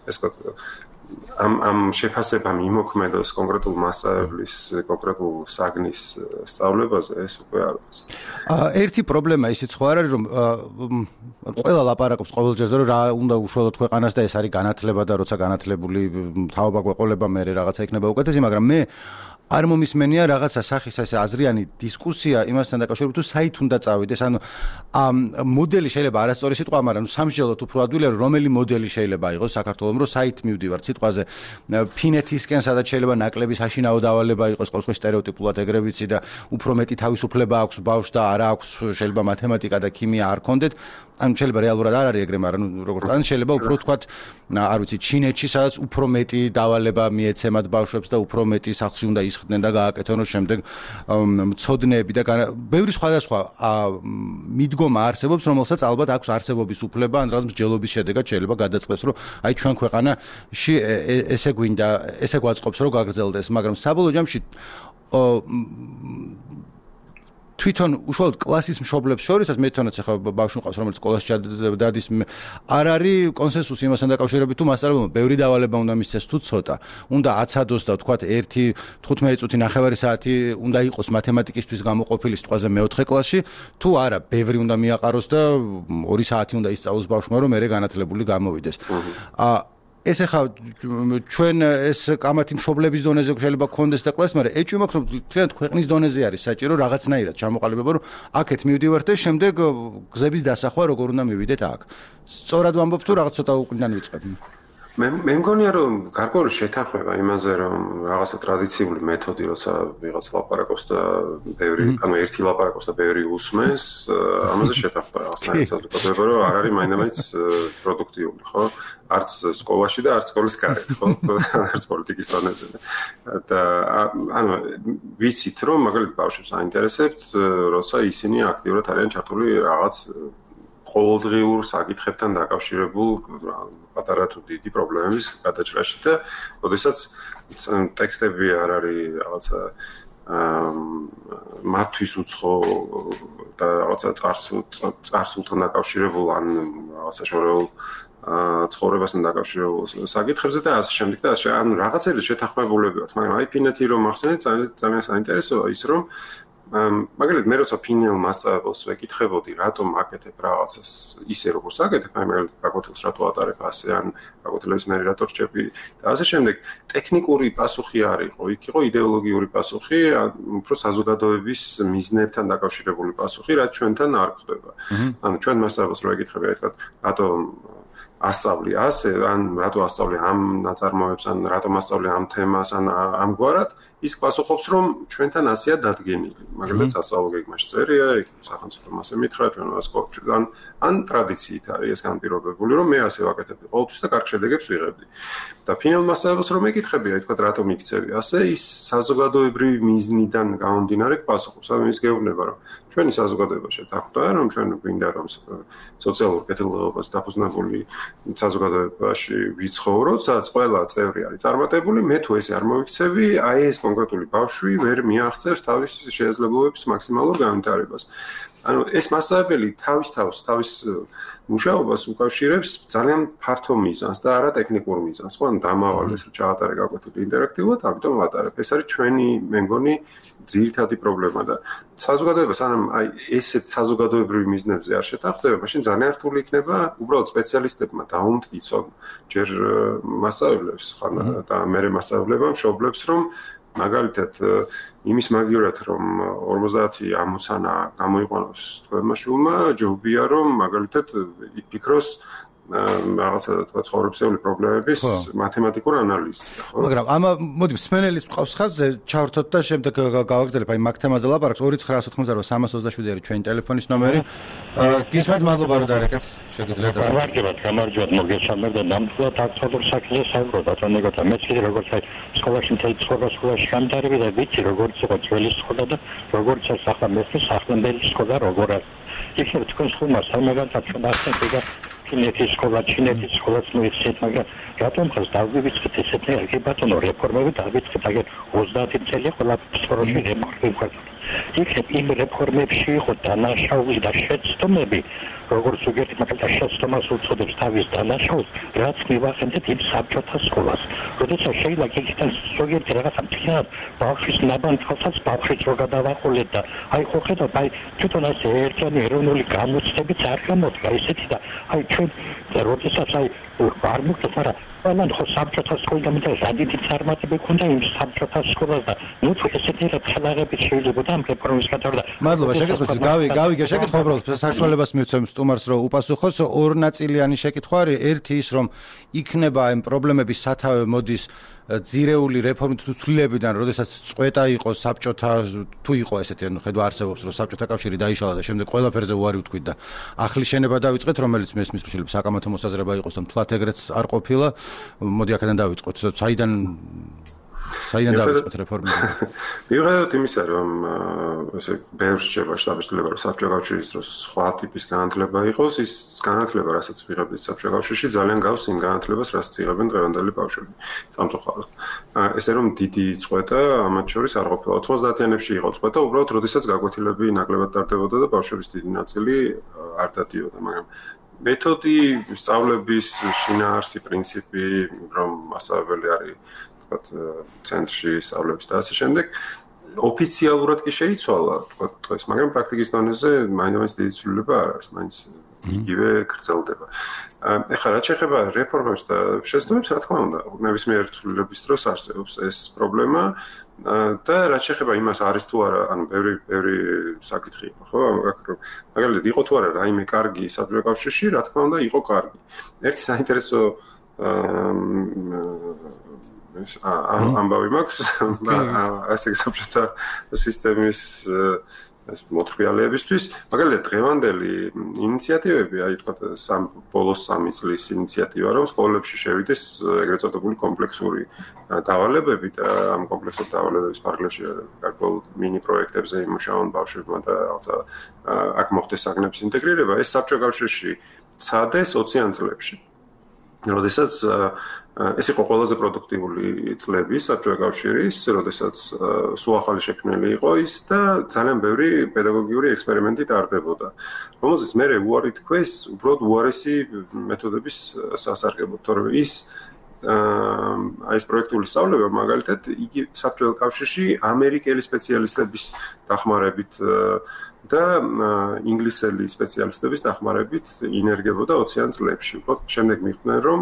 D: ეს ამ შეფასებამ იმოქმედოს კონკრეტულ მასშტაბის, კონკრეტულ საგნის სწავლებაზე, ეს უკვე არ არის.
A: ერთი პრობლემა ისიც ხო არ არის, რომ ყველა ლაპარაკობს ყოველჯერზე, რომ რა უნდა უშუალოდ ქვეყანას და ეს არის განათლება და როცა განათლებული თავობა გვეყოლება, მე რაღაცა იქნება უკეთესი, მაგრამ მე არ მომისმენია რაღაცა სახის ასე აზრიანი დისკუსია იმასთან დაკავშირებით, თუ საით უნდა წავიდეს. ანუ მოდელი შეიძლება არასწორი სიტყვა, მაგრამ სამსჯელოდ უფრო ადვილია, რომელი მოდელი შეიძლება იყოს საქართველოს, რომ საით მივდივართ სიტყვაზე ფინეთისკენ, სადაც შეიძლება ნაკლები საშინაო დავალება იყოს, ყოველთვის სტერეოტიპულად ეგრე ვიცი და უფრო მეტი თავისუფლება აქვს ბავშვს და არა აქვს შეიძლება მათემატიკა და ქიმია არ კონდეთ. ან შეიძლება რეალურად არ არის ეგრე, მაგრამ როგორც ან შეიძლება უფრო თქვათ, არ ვიცი, ჩინეთში, სადაც უფრო მეტი დავალება მიეცემათ ბავშვებს და უფრო მეტი სახლში უნდა ისხდნენ და გააკეთონ, რომ შემდეგ მცოდნეები და ბევრი სხვადასხვა მიდგომა არსებობს, რომელსაც ალბათ აქვს არსებობის უფლება, ან რაღაც მსჯელობის შედეგად შეიძლება გადაწყდეს, რომ აი ჩვენ ქვეყანაში ესე გვინდა, ესე გვაწყობს, რომ გაგრძელდეს, მაგრამ საბოლოო ჯამში თვითონ უშუალოდ კლასის მშობლებს შორისაც მე თვითონაც ახლა ბავშვი მყავს, რომელიც სკოლაში დადის, არ არის კონსენსუსი იმასთან დაკავშირებით, თუ მასწავლებელმა ბევრი დავალება უნდა მისცეს თუ ცოტა. უნდა აცადოს და თქვათ 1-15 წუთი 9 საათი უნდა იყოს მათემატიკისთვის გამოყოფილი სიტყვაზე მე-4 კლასში, თუ არა, ბევრი უნდა მიაყაროს და 2 საათი უნდა ისწავლოს ბავშვმა, რომ მერე განათლებული გამოვიდეს. ეს ახლა ჩვენ ეს კამათი მშობლების დონეზე შეიძლება გქონდეს და კლასი, მაგრამ ეჭვი მაქვს, რომ თლიანად ქვეყნის დონეზე არის საჭირო რაღაცნაირად ჩამოყალიბება, რომ აქეთ მივდივართ და შემდეგ გზების დასახვა როგორ უნდა მივიდეთ აქ. სწორად ვამბობ თუ რაღაც ცოტა უკუნიდან ვიწყებ.
D: მე მგონია რომ გარკვეული შეთანხმება იმაზე რომ რაღაცა ტრადიციული მეთოდი როცა ვიღაც ლაპარაკობს და ბევრი ანუ ერთი ლაპარაკობს და ბევრი უსმენს ამაზე შეთანხმება რაღაცნაირად საზოგადოება რომ არ არის მაინდა-მაინც პროდუქტიული ხო არც სკოლაში და არც სკოლის გარეთ ხო არც პოლიტიკის დონეზე და ანუ ვიცით რომ მაგალითად ბავშვებს აინტერესებთ როცა ისინი აქტიურად არიან ჩართული რაღაც ყოველდღიურ საკითხებთან დაკავშირებულ პატარა თუ დიდი პრობლემების გადაჭრაში და როდესაც ტექსტები არ არის რაღაცა მათთვის უცხო და რაღაცა წარსულთან დაკავშირებულ ან რაღაცა შორეულ ცხოვრებასთან დაკავშირებულ საკითხებზე და ასე შემდეგ და ასე ან რაღაცები შეთანხმებულები ვართ მაგრამ აი ფინეთი რომ ახსენეთ ძალიან საინტერესოა ის რომ მაგალითად მე როცა ფინელ მასწავლებელს ვეკითხებოდი რატომ აკეთებ რაღაცას ისე როგორც აკეთებ აი მაგალითად გაკვეთილს რატო ატარებ ასე ან გაკვეთილების მე რატო რჩები და ასე შემდეგ ტექნიკური პასუხი არ იყო იქ იყო იდეოლოგიური პასუხი ან უფრო საზოგადოების მიზნებთან დაკავშირებული პასუხი რაც ჩვენთან არ ხდება ანუ ჩვენ მასწავლებელს რო ეკითხები აი თქვა რატომ ასწავლი ასე ან რატო ასწავლი ამ ნაწარმოებს ან რატომ ასწავლი ამ თემას ან ამგვარად ის პასუხობს რომ ჩვენთან ასეა დადგენილი მაგალითად სასწავლო გეგმაში წერია იქ სახელმწიფომ ასე მითხრა ჩვენ ასკოლიდან ან ტრადიციით არის ეს განპირობებული რომ მე ასე ვაკეთებდი ყოველთვის და კარგ შედეგებს ვიღებდი და ფინალ მასწავლებელს რომ ეკითხები აი თქვა რატომ იქცევი ასე ის საზოგადოებრივი მიზნიდან გამომდინარე პასუხობს ანუ ის გეუბნება რომ ჩვენი საზოგადოება შეთანხმდა რომ ჩვენ გვინდა რომ სოციალურ კეთილდღეობას დაფუძნებული საზოგადოებაში ვიცხოვროთ სადაც ყველა წევრი არის წარმატებული მე თუ ესე არ მოვიქცევი აი ეს კონკრეტული ბავშვი ვერ მიაღწევს თავის შესაძლებლობების მაქსიმალურ განვითარებას. ანუ ეს მასწავლებელი თავის მუშაობას უკავშირებს ძალიან ფართო მიზანს და არა ტექნიკურ მიზანს. ხო, დამავალეს რომ ჩაატარე გაკვეთილი ინტერაქტიულად, ამიტომ ვატარებ. ეს არის ჩვენი, მე მგონი, ძირითადი პრობლემა და საზოგადოებას ანუ აი ესეთ საზოგადოებრივ მიზნებზე არ შეთანხმდება, მაშინ ძალიან რთული იქნება უბრალოდ სპეციალისტებმა დაუმტკიცონ ჯერ მასწავლებლებს ხან და მერე მასწავლებლებმა მშობლებს რომ მაგალითად იმის მაგივრად რომ 50 ამოცანა გამოიყვანოს თქვენმა შვილმა ჯობია რომ მაგალითად იფიქროს რაღაცა თქვა ცხოვრებისეული პრობლემების მათემატიკურ ანალიზია, ხო?
A: მაგრამ ამა მოდი მსმენელის ყავს ხაზზე ჩავრთოთ და შემდეგ გავაგრძელებ აი მაგ თემაზე ლაპარაკს 2988327 არის ჩვენი ტელეფონის ნომერი. გისმენთ, მადლობა რომ დარეკეთ. შეგიძლიათ
E: გამარჯობათ, მოგესალმებ და ნამდვილად აქტუალურ საქმეზე საუბრობ, ბატონო გოთა. მეც კიდე როგორც აი სკოლაში მთელი ცხოვრება სკოლაში გამდარები და ვიცი როგორც იყო ძველი სკოლა და როგორც არის ახლა მესმის სახლამდელი სკოლა როგორ არის. იქნებ თქვენ სკოლას სამაგანთად ჩვენ ახსენეთ და ჩინეთის სკოლა, ჩინეთის სკოლაც მოიხსენეთ, მაგრამ რატომ ხას დავგვიწყეთ ესეთი ერთი ბატონო რეფორმები დავიწყეთ აგერ 30 წელი ყველა სკოლაში რეფორმები გვაქვს. იქნებ იმ რეფორმებში იყო დანაშაული და შეცდომები, როგორც ზოგიერთი მაგალითად შეცდომას უწოდებს თავის დანაშაულს, რაც მივახსენეთ იმ საბჭოთა სკოლას. როდესაც შეიძლება იქიდან ზოგიერთი რაღაცა მთლიანად ბავშვის ნაბანთვალსაც ბავშვიც რო გადავაყოლეთ და აი ხო ხედავთ, აი თვითონ ასე ერთიანი ეროვნული გამოცდებიც არ გამოდგა ისეთი და აი ჩვენ როდესაც აი არ მოგწევთ, მაგრამ ყველან ხო საბჭოთა სკოლიდან და ზადიდი წარმატება ქონდა იმ საბჭოთა სკოლას და ნუ ესეთი ხელაღებით შეიძლება ამ რეფორმის კატარდა.
A: მადლობა, შეკითხვის გავიგე შეკითხვა უბრალოდ საშუალებას მივცემ სტუმარს რომ უპასუხოს ორნაწილიანი შეკითხვა არის. ერთი ის რომ იქნება ამ პრობლემების სათავე მოდის ძირეული რეფორმით თუ ცვლილებიდან, როდესაც წვეტა იყო საბჭოთა თუ იყო ესეთი, ანუ ხედვა არსებობს რომ საბჭოთა კავშირი დაიშალა და შემდეგ ყველაფერზე უარი ვთქვით და ახლის შენება დავიწყეთ, რომელიც მესმის რომ შეიძლება საკამათო მოსაზრება იყოს, რომ თლათ ეგრეც არ ყოფილა. მოდი აქედან დავიწყოთ. საიდან დავიწყოთ რეფორმები?
D: მივიღეთ იმისა, რომ ესე ბევრ შეება შტაბის-ცვლილება, რომ საბჭოთა კავშირის დროს სხვა ტიპის განათლება იყოს, ის განათლება, რასაც ვიღებთ საბჭოთა კავშირში, ძალიან გავს იმ განათლებას, რაც იღებენ დღევანდელი ბავშვები სამწუხაროდ. ესე რომ დიდი წვეტა ამათ შორის არ ყოფილა. 90-იანებში იყო წვეტა, უბრალოდ როდესაც გაკვეთილები ნაკლებად ტარდებოდა და ბავშვების დიდი ნაწილი არ დადიოდა, მაგრამ მეთოდი, სწავლების შინაარსი, პრინციპი, რომ მასწავლებელი არის ვთქვათ ცენტრში სწავლების და ასე შემდეგ ოფიციალურად კი შეიცვალა ვთქვათ დღეს, მაგრამ პრაქტიკის დონეზე მაინც დიდი ცვლილება არ არის, მაინც იგივე გრძელდება. ეხლა რაც შეეხება რეფორმებს და შეცდომებს, რა თქმა უნდა, ნებისმიერ ცვლილების დროს არსებობს ეს პრობლემა და რაც შეეხება იმას არის თუ არა, ანუ ბევრი საკითხი იყო, ხო? მაგალითად იყო თუ არა რაიმე კარგი საბჭოთა კავშირში, რა თქმა უნდა, იყო კარგი. ერთი საინტერესო ამბავი მაქვს, ასე საბჭოთა სისტემის მოთხრიალებისთვის, მაგალითად დღევანდელი ინიციატივები, აი თქვა ბოლოს 3 წლის ინიციატივა, რომ სკოლებში შევიდეს ეგრეთ წოდებული კომპლექსური დავალებები და ამ კომპლექსურ დავალებების ფარგლებში გარკვეულ მინი პროექტებზე იმუშაონ ბავშვებმა და რაღაცა აქ მოხდეს საგნების ინტეგრირება, ეს საბჭოთა კავშირში ცადეს 20-იან წლებში. როდესაც ეს იყო ყველაზე პროდუქტიული წლები საბჭოთა კავშირის, როდესაც სულ ახალი შექმნილი იყო ის და ძალიან ბევრი პედაგოგიური ექსპერიმენტი ტარდებოდა. რომელზეც მე უარი თქვეს, უბრალოდ უარესი მეთოდების სასარგებლოდ, თორემ ის აი ეს პროექტული სწავლება მაგალითად იგი საბჭოთა კავშირში ამერიკელი სპეციალისტების დახმარებით და ინგლისელი სპეციალისტების დახმარებით ინერგებოდა 20-იან წლებში. შემდეგ მიხვდნენ, რომ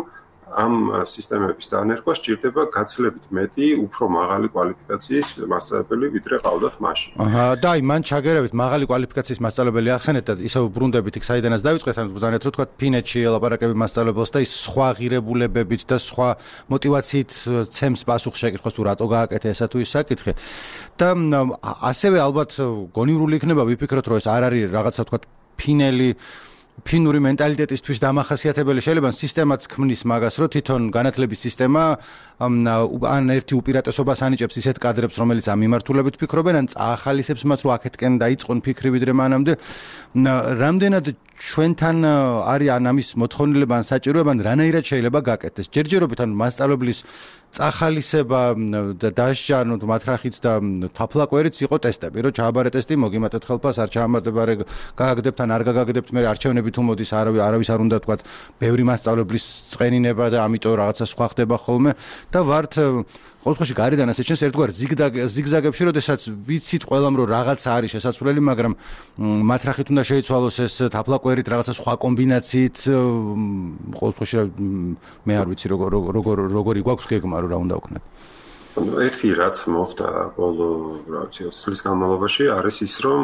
D: ამ სისტემების დანერგვა სჭირდება გაცილებით მეტი, უფრო მაღალი კვალიფიკაციის მასწავლებელი, ვიდრე ყავდათ მაშინ.
A: და აი მან ჩაგერევით მაღალი კვალიფიკაციის მასწავლებელი ახსენეთ და ისევ ბრუნდებით იქ საიდანაც დავიწყეთ, ანუ ბრძანეთ რომ თქვა ფინეთში ელაპარაკები მასწავლებელს და ის სხვა ღირებულებებით და სხვა მოტივაციით ცემს პასუხს შეკითხვას თუ რატო გააკეთე ესა თუ ის საკითხი. და ასევე ალბათ გონივრული იქნება ვიფიქროთ რომ ეს არ არის რაღაცა თქვა ფინური მენტალიტეტისთვის დამახასიათებელი, შეიძლება სისტემაც ქმნის მაგას, რომ თვითონ განათლების სისტემა ან ერთი უპირატესობას ანიჭებს ისეთ კადრებს, რომელიც ამ მიმართულებით ფიქრობენ, ან წაახალისებს მათ, რომ აქეთკენ დაიწყონ ფიქრი ვიდრე მანამდე. რამდენად ჩვენთან არის ან ამის მოთხოვნილება ან საჭიროება, ან რანაირად შეიძლება გაკეთდეს? ჯერჯერობით ან მასწავლებლის წახალისება და დასჯა, ანუ მათრახიც და თაფლაკვერიც იყო ტესტები, რომ ჩააბარე ტესტი, მოგიმატეთ ხელფას, არ ჩაამატებარე, გაგაგდებთ ან არ გაგაგდებთ, მე არჩევნები თუ მოდის, არავის არ უნდა თქვა ბევრი მასწავლებლის წყენინება და ამიტომ რაღაცა სხვა ხდება ხოლმე და ვართ ყოველთვის გარედან ასე ჩენს ერთგვარ ზიგზაგებში, როდესაც ვიცით ყველამ რომ რაღაცა არის შესაძლებელი, მაგრამ მათრახით უნდა შეიცვალოს ეს თაფლაკვერით რაღაცა სხვა კომბინაციით, ყოველთვის მე არ ვიცი როგორი გვაქვს გეგმა რა უნდა ვქნათ.
D: ერთი რაც მოხდა ბოლო 20 წლის განმავლობაში არის ის, რომ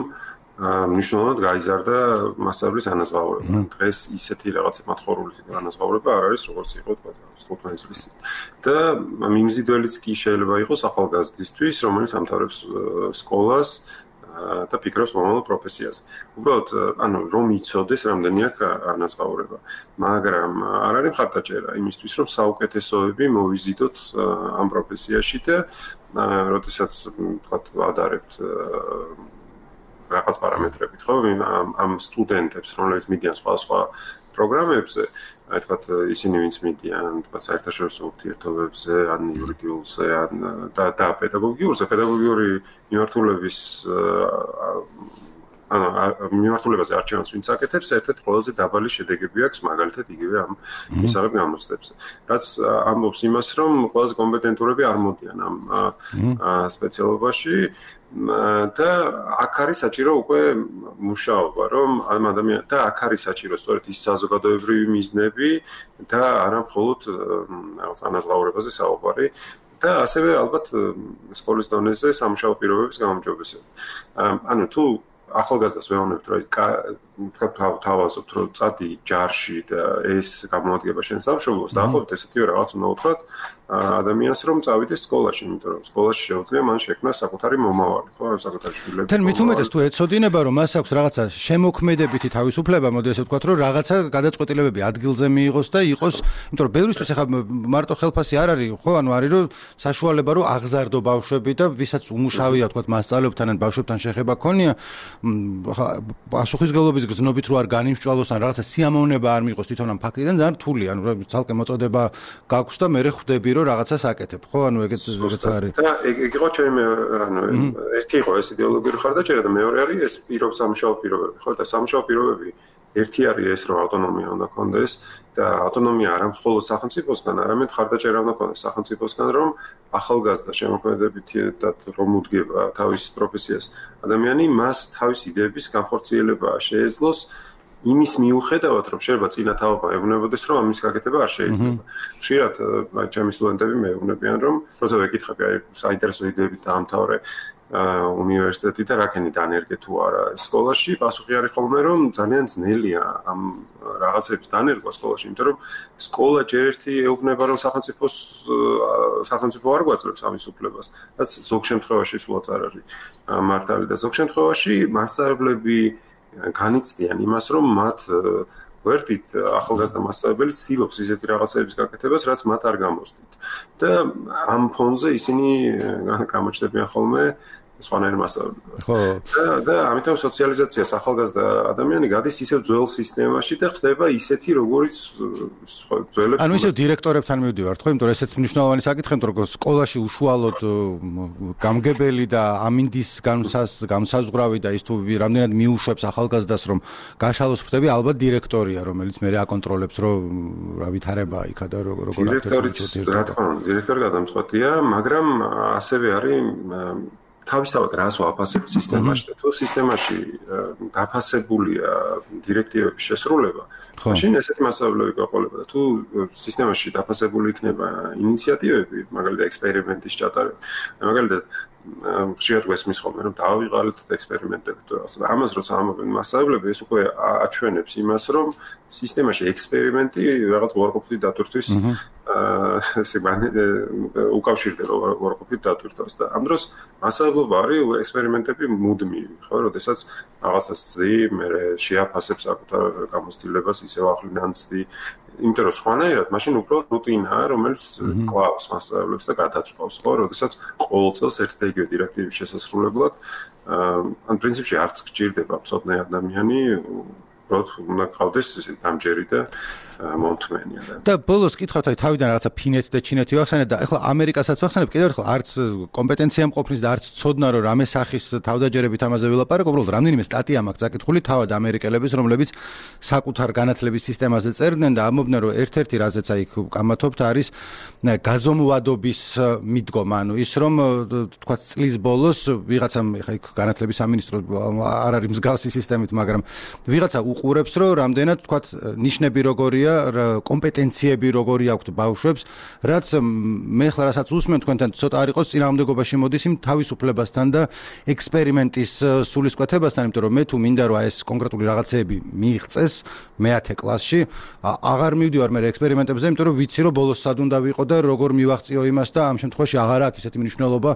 D: მნიშვნელოვნად გაიზარდა მასშტაბის ანაზღაურება. დღეს ისეთი რაღაცა მათხოვრული ანაზღაურება არ არის, როგორც იყო 15 წლის წინ. და მიმზიდველიც კი შეიძლება იყოს ახალგაზრდისთვის, რომელიც ამთავრებს სკოლას და ფიქრობს მომავალ პროფესიაზე. უბრალოდ, რომ იცოდეს რამდენი აქვს ანაზღაურება, მაგრამ არ არის მხარდაჭერა იმისთვის, რომ საუკეთესოები მოვიზიდოთ ამ პროფესიაში და როდესაც თქვათ ვადარებთ რაღაც პარამეტრებით, ხო, ამ სტუდენტებს, რომლებიც მიდიან სხვა პროგრამებზე, აი თქვათ ისინი ვინც მიდიან, თქვათ საერთაშორისო ურთიერთობებზე, ან იურიდიულზე, ან და პედაგოგიურზე, პედაგოგიური მიმართულების მიმართულებაზე არჩევანს ვინც აკეთებს, ერთ-ერთი ყველაზე დაბალი შედეგები აქვს, მაგალითად იგივე ამ მისაღებ გამოცდებზე. რაც ამბობს იმას, რომ ყველაზე კომპეტენტურები არ მოდიან ამ სპეციალობაში და აქ არის საჭირო უკვე მუშაობა, რომ ამ ადამიანს და აქ არის საჭირო სწორედ ის საზოგადოებრივი მიზნები და არა მხოლოდ რაღაც ანაზღაურებაზე საუბარი და ასევე ალბათ სკოლის დონეზე სამუშაო პირობების გამომჯობესება. ანუ თუ ახალგაზრდას ვეუბნებთ, რომ თავაზობთ, რომ წადი ჯარში და ეს გამოადგება შენ სამშობლოს, დაახლოებით ესეთივე რაღაც უნდა უთხრათ ადამიანს, რომ წავიდეს სკოლაში, იმიტომ რომ სკოლაში შეუძლია მან შექმნას საკუთარი მომავალი, ხო, საკუთარი შვილები.
A: თან მით უმეტეს თუ ეცოდინება, რომ მას აქვს რაღაცა შემოქმედებითი თავისუფლება, მოდი ესე ვთქვათ, რომ რაღაცა გადაწყვეტილებები ადგილზე მიიღოს და იყოს, იმიტომ რომ ბევრისთვის ახლა მარტო ხელფასი არ არის, ხო, ანუ არის რომ საშუალება რომ აღზარდო ბავშვები და ვისაც უმუშავია, ვთქვათ, მასწავლებთან ან ბავშვებთან შეხება ქონია, პასუხისმგებლობის გზნობით რო არ განიმსჭვალოს ან რაღაცა სიამოვნება არ მიიღოს თვითონ ამ ფაქტიდან ძალიან რთულია, ანუ ცალკე მოწოდება გაქვს და მე ხვდები რომ რაღაცას აკეთებ, ხო, ანუ ეგეც არის.
D: და ეგ იყო ჩემი, ანუ ერთი იყო ეს იდეოლოგიური ხარდაჭერა და მეორე არის ეს სამუშაო პირობები, ხო, და სამუშაო პირობები ერთი არის ეს, რომ ავტონომია უნდა ქონდეს და ავტონომია არა მხოლოდ სახელმწიფოსგან, არამედ ხარდაჭერა უნდა ქონდეს სახელმწიფოსგან, რომ ახალგაზრდა შემოქმედებითად რომ უდგება თავის პროფესიას ადამიანი, მას თავის იდეების განხორციელება შეეძლოს იმის მიუხედავად, რომ შეიძლება წინა თაობა ეუბნებოდეს, რომ ამის გაკეთება არ შეიძლება. ხშირად ჩემი სტუდენტები მეუბნებიან, რომ როცა ვეკითხები, აი საინტერესო იდეებით დაამთავრე უნივერსიტეტი და რაკენი დანერგე თუ არა სკოლაში, პასუხი არის ხოლმე, რომ ძალიან ძნელია ამ რაღაცების დანერგვა სკოლაში, იმიტომ რომ სკოლა ჯერ ერთი ეუბნება, რომ სახელმწიფო არ გვაძლევს ამის უფლებას, რაც ზოგ შემთხვევაში სულაც არ არის მართალი და ზოგ შემთხვევაში მასწავლებლები განიცდიან იმას, რომ მათ ვერდით ახალგაზრდა მასწავლებელი ცდილობს ისეთი რაღაცების გაკეთებას, რაც მათ არ გამოსდით. და ამ ფონზე ისინი გამოჩნდებიან ხოლმე სხვანაირ მასწავლებლად.
A: ხო.
D: და ამიტომ სოციალიზაციას ახალგაზრდა ადამიანი გადის ისევ ძველ სისტემაში და ხდება ისეთი, როგორიც ძველებს.
A: ანუ ისევ დირექტორებთან მივდივართ, ხო, იმიტომ რომ ესეც მნიშვნელოვანი საკითხია, იმიტომ რომ სკოლაში უშუალოდ გამგებელი და ამინდის განსაზღვრავი და ის თუ რამდენად მიუშვებს ახალგაზრდას, რომ გაშალოს ხვდები, ალბათ დირექტორია, რომელიც მე აკონტროლებს, რომ რა ვითარება იქა და როგორ
D: დირექტორიც, რა თქმა უნდა, დირექტორი გადამწყვეტია, მაგრამ ასევე არის თავისთავად რას ვაფასებთ სისტემაში და თუ სისტემაში დაფასებულია დირექტივების შესრულება, მაშინ ესეთი მასშტაბები გაყოლება და თუ სისტემაში დაფასებული იქნება ინიციატივები, მაგალითად ექსპერიმენტის ჩატარება, მაგალითად ხშირად გვესმის ხოლმე, რომ დავიღალეთ ექსპერიმენტები თუ რაღაცა. ამას როცა ამბობენ მასშტაბები, ეს უკვე აჩვენებს იმას, რომ სისტემაში ექსპერიმენტი რაღაც უარყოფითი დატვირთვის ესე უკავშირდება უარყოფით დატვირთვას და ამ დროს მასშტაბობა არის ექსპერიმენტები მუდმივი, ხო, როდესაც რაღაცას ცდი, მე შეაფასებ საკუთარ გამოცდილებას, ისევ ახლიდან ცდი, იმიტომ რომ სხვანაირად მაშინ უბრალოდ რუტინაა, რომელიც კლავს მასშტაბებს და გადაწყვეტს, ხო, როდესაც ყოველ წელს ერთი და იგივე დირექტივის შესასრულებლად, ან პრინციპში არც გჭირდება მწოდნე ადამიანი, უბრალოდ უნდა ყავდეს ესე დამჯერი და მომთმენია
A: და ბოლოს კითხავთ, აი თავიდან რაღაცა ფინეთი და ჩინეთი ვახსენეთ და ახლა ამერიკასაც ვახსენებ, კიდევ ერთხელ არც კომპეტენცია მყოფნის და არც ცოდნა რომ რამე სახის თავდაჯერებით ამაზე ვილაპარაკ, უბრალოდ რამდენიმე სტატია მაქვს წაკითხული თავად ამერიკელების, რომლებიც საკუთარ განათლების სისტემაზე წერდნენ და ამბობდნენ, რომ ერთ-ერთი რაზეც აი კამათობთ არის გაზომვადობის მიდგომა, ანუ ის რომ თქვა წლის ბოლოს ვიღაცამ ხა განათლების სამინისტრო არ არის მსგავსი სისტემით, მაგრამ ვიღაცა უყურებს, რომ რამდენად თქვათ ნიშნები როგორია, კომპეტენციები როგორი აქვთ ბავშვებს, რაც მე ხლა რასაც უსმენ თქვენთან ცოტა არ იყოს წინააღმდეგობაში მოდის იმ თავისუფლებასთან და ექსპერიმენტის სულისკვეთებასთან, იმიტომ რომ მე თუ მინდა რომ ეს კონკრეტული რაღაცეები მიიღწეს მე-10 კლასში, აღარ მივდივარ მე ექსპერიმენტებზე, იმიტომ რომ ვიცი რომ ბოლოს სად უნდა ვიყო და როგორ მივაღწიო იმას და ამ შემთხვევაში აღარ აქვს ისეთი მნიშვნელობა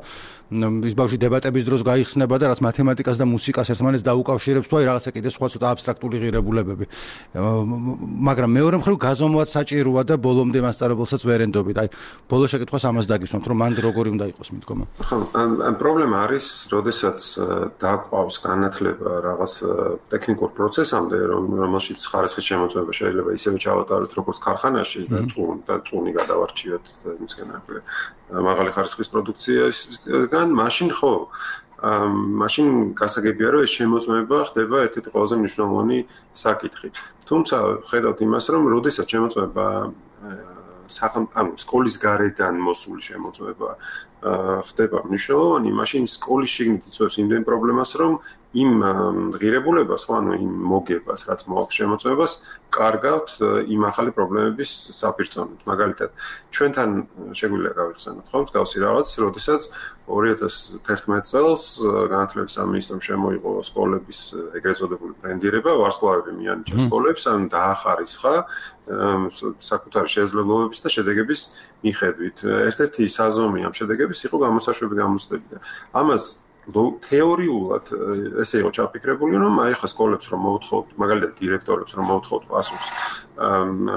A: ის ბავშვი დებატების დროს გაიხსნება და რაც მათემატიკას და მუსიკას ერთმანეთს დაუკავშირებს თუ აი რაღაცა კიდე სხვა ცოტა აბსტრაქტული ღირებულებები. მაგრამ მეორე მხრივ გაზომვაც საჭიროა და ბოლომდე მასწავლებელსაც ვერ ენდობით. აი ბოლო შეკითხვას ამას დაგისვამთ, რომ მან როგორი უნდა იყოს მიდგომა.
D: ხო, პრობლემა არის, როდესაც დააკვავს განათლება რაღაც ტექნიკურ პროცესამდე, რომელშიც ხარისხის შემოწმება შეიძლება ისევე ჩავატაროთ როგორც ქარხანაში და წუნი გადავარჩიოთ იმისგან მაღალი ხარისხის პროდუქციისგან, მაშინ ხო მაშინ გასაგებია რომ ეს შემოწმება ხდება ერთ-ერთი ყველაზე მნიშვნელოვანი საკითხი. თუმცა ხედავთ იმას, რომ როდესაც შემოწმება სკოლის გარედან მოსული შემოწმება ხდება მნიშვნელოვანი, მაშინ სკოლის შიგნით იწვევს იმდენ პრობლემას, რომ იმ ღირებულებას, ხო, ანუ იმ მოგებას, რაც მოაქვს შემოწმებას, კარგავთ იმ ახალი პრობლემების საფირწონით. მაგალითად, ჩვენთან შეგვიძლია გავიხსენოთ, ხო, მსგავსი რაღაც, როდესაც 2011 წელს განათლების სამინისტრომ შემოიღო სკოლების ეგრეთ წოდებული ბრენდირება, ვარსკვლავები მიანიჭა სკოლებს, ან დაახარისხა საკუთარი შესაძლებლობების და შედეგების მიხედვით. ერთ-ერთი საზომი ამ შედეგების იყო გამოსაშვები გამოცდები. ამას თეორიულად ესე იყო ჩაფიქრებული, რომ აი ხა სკოლებს რომ მოუთხოვთ, მაგალითად დირექტორებს რომ მოუთხოვთ პასუხს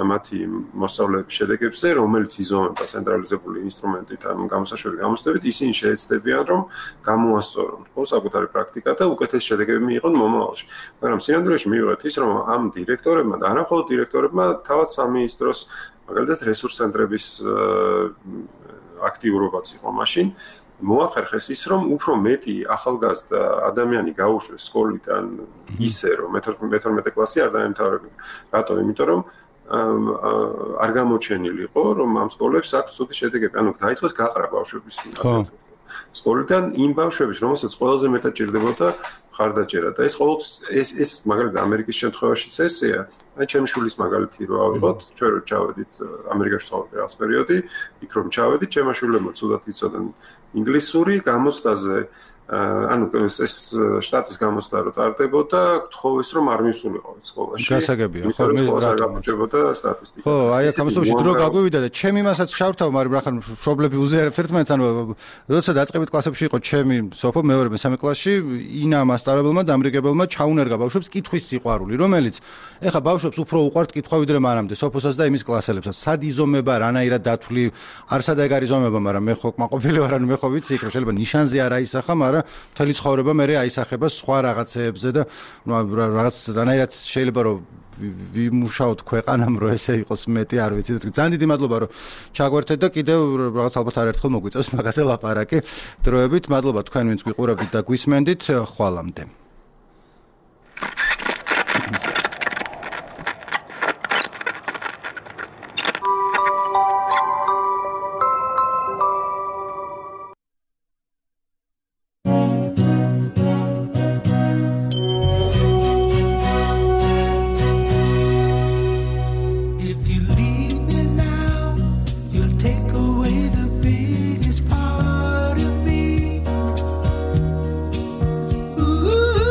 D: მათი მოსწავლეების შედეგებზე, რომელიც იზომება ცენტრალიზებული ინსტრუმენტით ამ გამოსაშვები გამოცდებით, ისინი შეეცდებიან რომ გამოასწორონ ხო საკუთარი პრაქტიკა და უკეთესი შედეგები მიიღონ მომავალში. მაგრამ სინამდვილეში მივიღეთ ის, რომ ამ დირექტორებმა და არა მხოლოდ დირექტორებმა, თავად სამინისტროს მაგალითად რესურს ცენტრების აქტიურობაც იყო მაშინ მოახერხეს ის, რომ უფრო მეტი ახალგაზრდა ადამიანი გაუშვეს სკოლიდან ისე, რომ მე-12 კლასი არ დაემთავრებინა. რატომ? იმიტომ რომ არ გამოჩენილიყო, რომ ამ სკოლებს აქვს ცუდი შედეგები. ანუ დაიწყეს გაყრა ბავშვების სკოლიდან იმ ბავშვების, რომელსაც ყველაზე მეტად ჭირდებოდა ხარდაჭერა. და ეს მაგალითად ამერიკის შემთხვევაშიც ესეა. აი ჩემი შვილის მაგალითი რო ავიღოთ, ჩვენ რო ჩავედით ამერიკაში ცხოვრობდი რაღაც პერიოდი, იქ რომ ჩავედით, ჩემმა შვილებმა ცუდად იცოდნენ ინგლისური გამოცდაზე, ანუ ეს შტატის გამოცდა რო ტარდებოდა, გთხოვეს რომ არ მივსულიყავით სკოლაში.
A: გასაგებია, ხო, მე
D: რატომჭებოდა სტატისტიკა.
A: ხო, აი აქ ამასობაში დრო გაგვივიდა და ჩემი მასაც შავთავ, მაგრამ რახან მშობლები უზიარებთ ერთმანეთს, ანუ როცა დაწყებით კლასებში იყო ჩემი სოფო მეორე მესამე კლასში, ინა მასწავლებელმა და ამრიგებელმა ჩაუნერგა ბავშვებს კითხვის სიყვარული, რომელიც ეხა ბავშვებს უფრო უყვართ კითხვა ვიდრე მანამდე, სოფოსაც და იმის კლასელებსაც. სად იზომება, რანაირად დათვლი, არსად ეგ არის იზომება, მაგრამ მე ხო კმაყოფილი ვარ, ანუ მე ხო ვიცი, რომ შეიძლება ნიშანზე არ აისახა, მაგრამ მთელი ცხოვრება მე აისახება სხვა რაღაცეებზე და რაღაც რანაირად შეიძლება რომ ვიმუშაოთ ქვეყანამ რომ ესე იყოს მეტი არ ვიცი. ძალიან დიდი მადლობა რომ ჩაგვერთეთ და კიდევ რაღაც ალბათ არაერთხელ მოგვიწევს მაგაზე ლაპარაკი დროებით. მადლობა თქვენ ვინც გვიყურებთ და გვისმენდით. ხვალამდე.
F: Ooh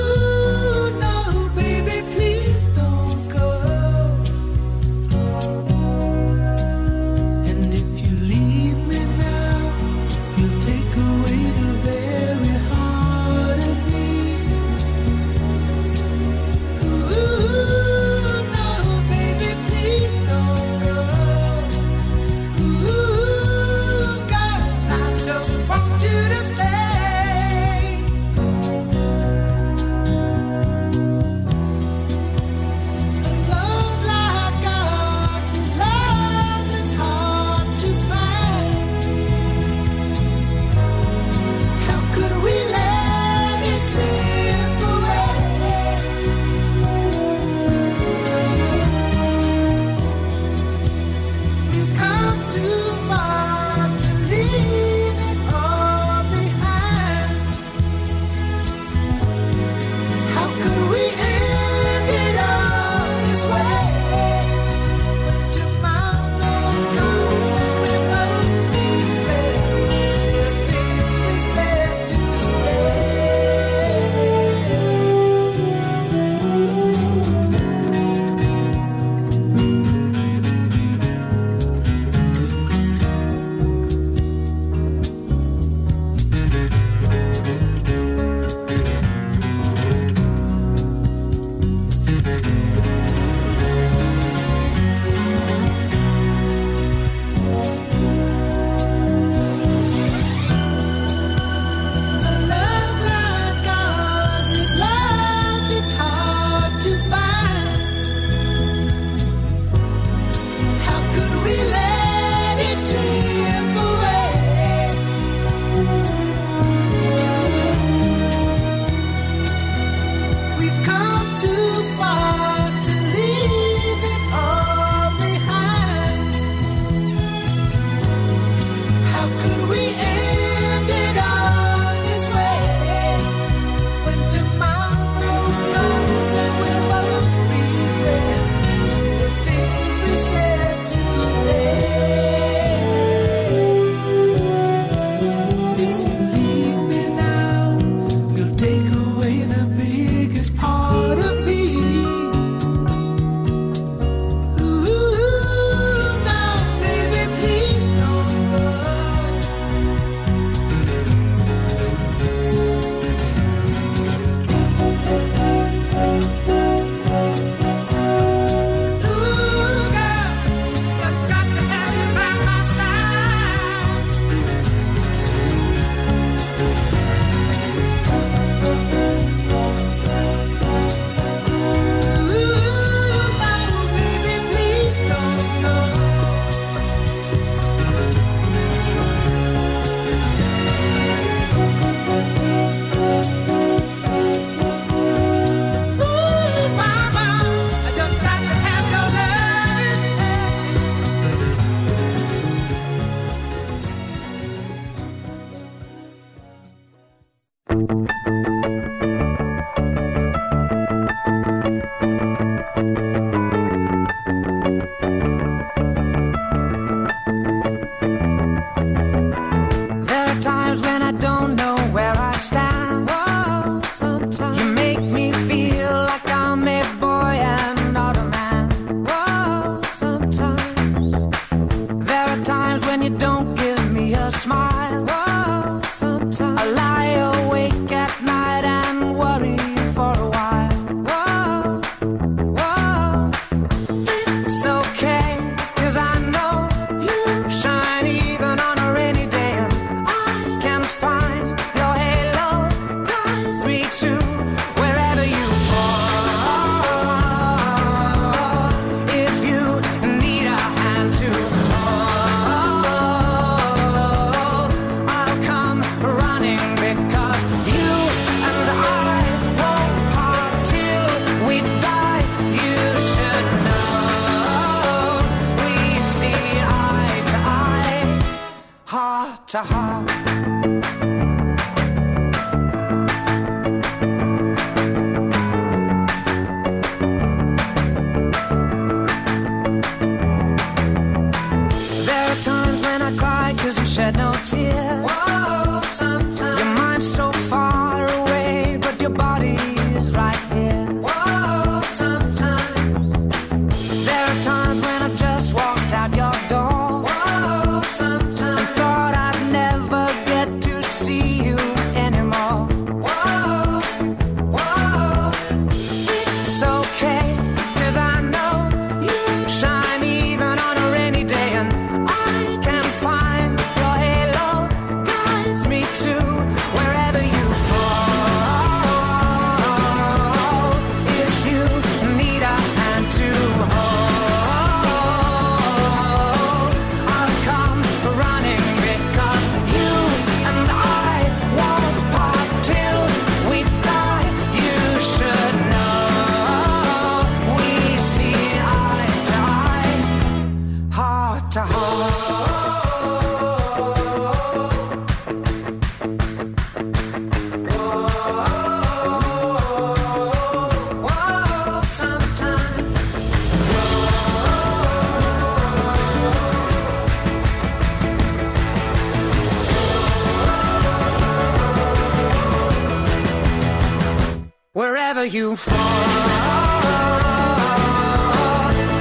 F: Wherever you fall,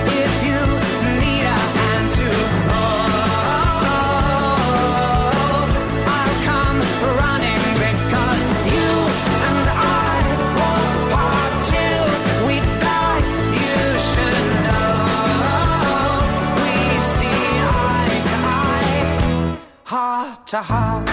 F: if you need a hand to hold, I'll come running because you and I won't part till we die. You should know we see eye to eye, heart to heart.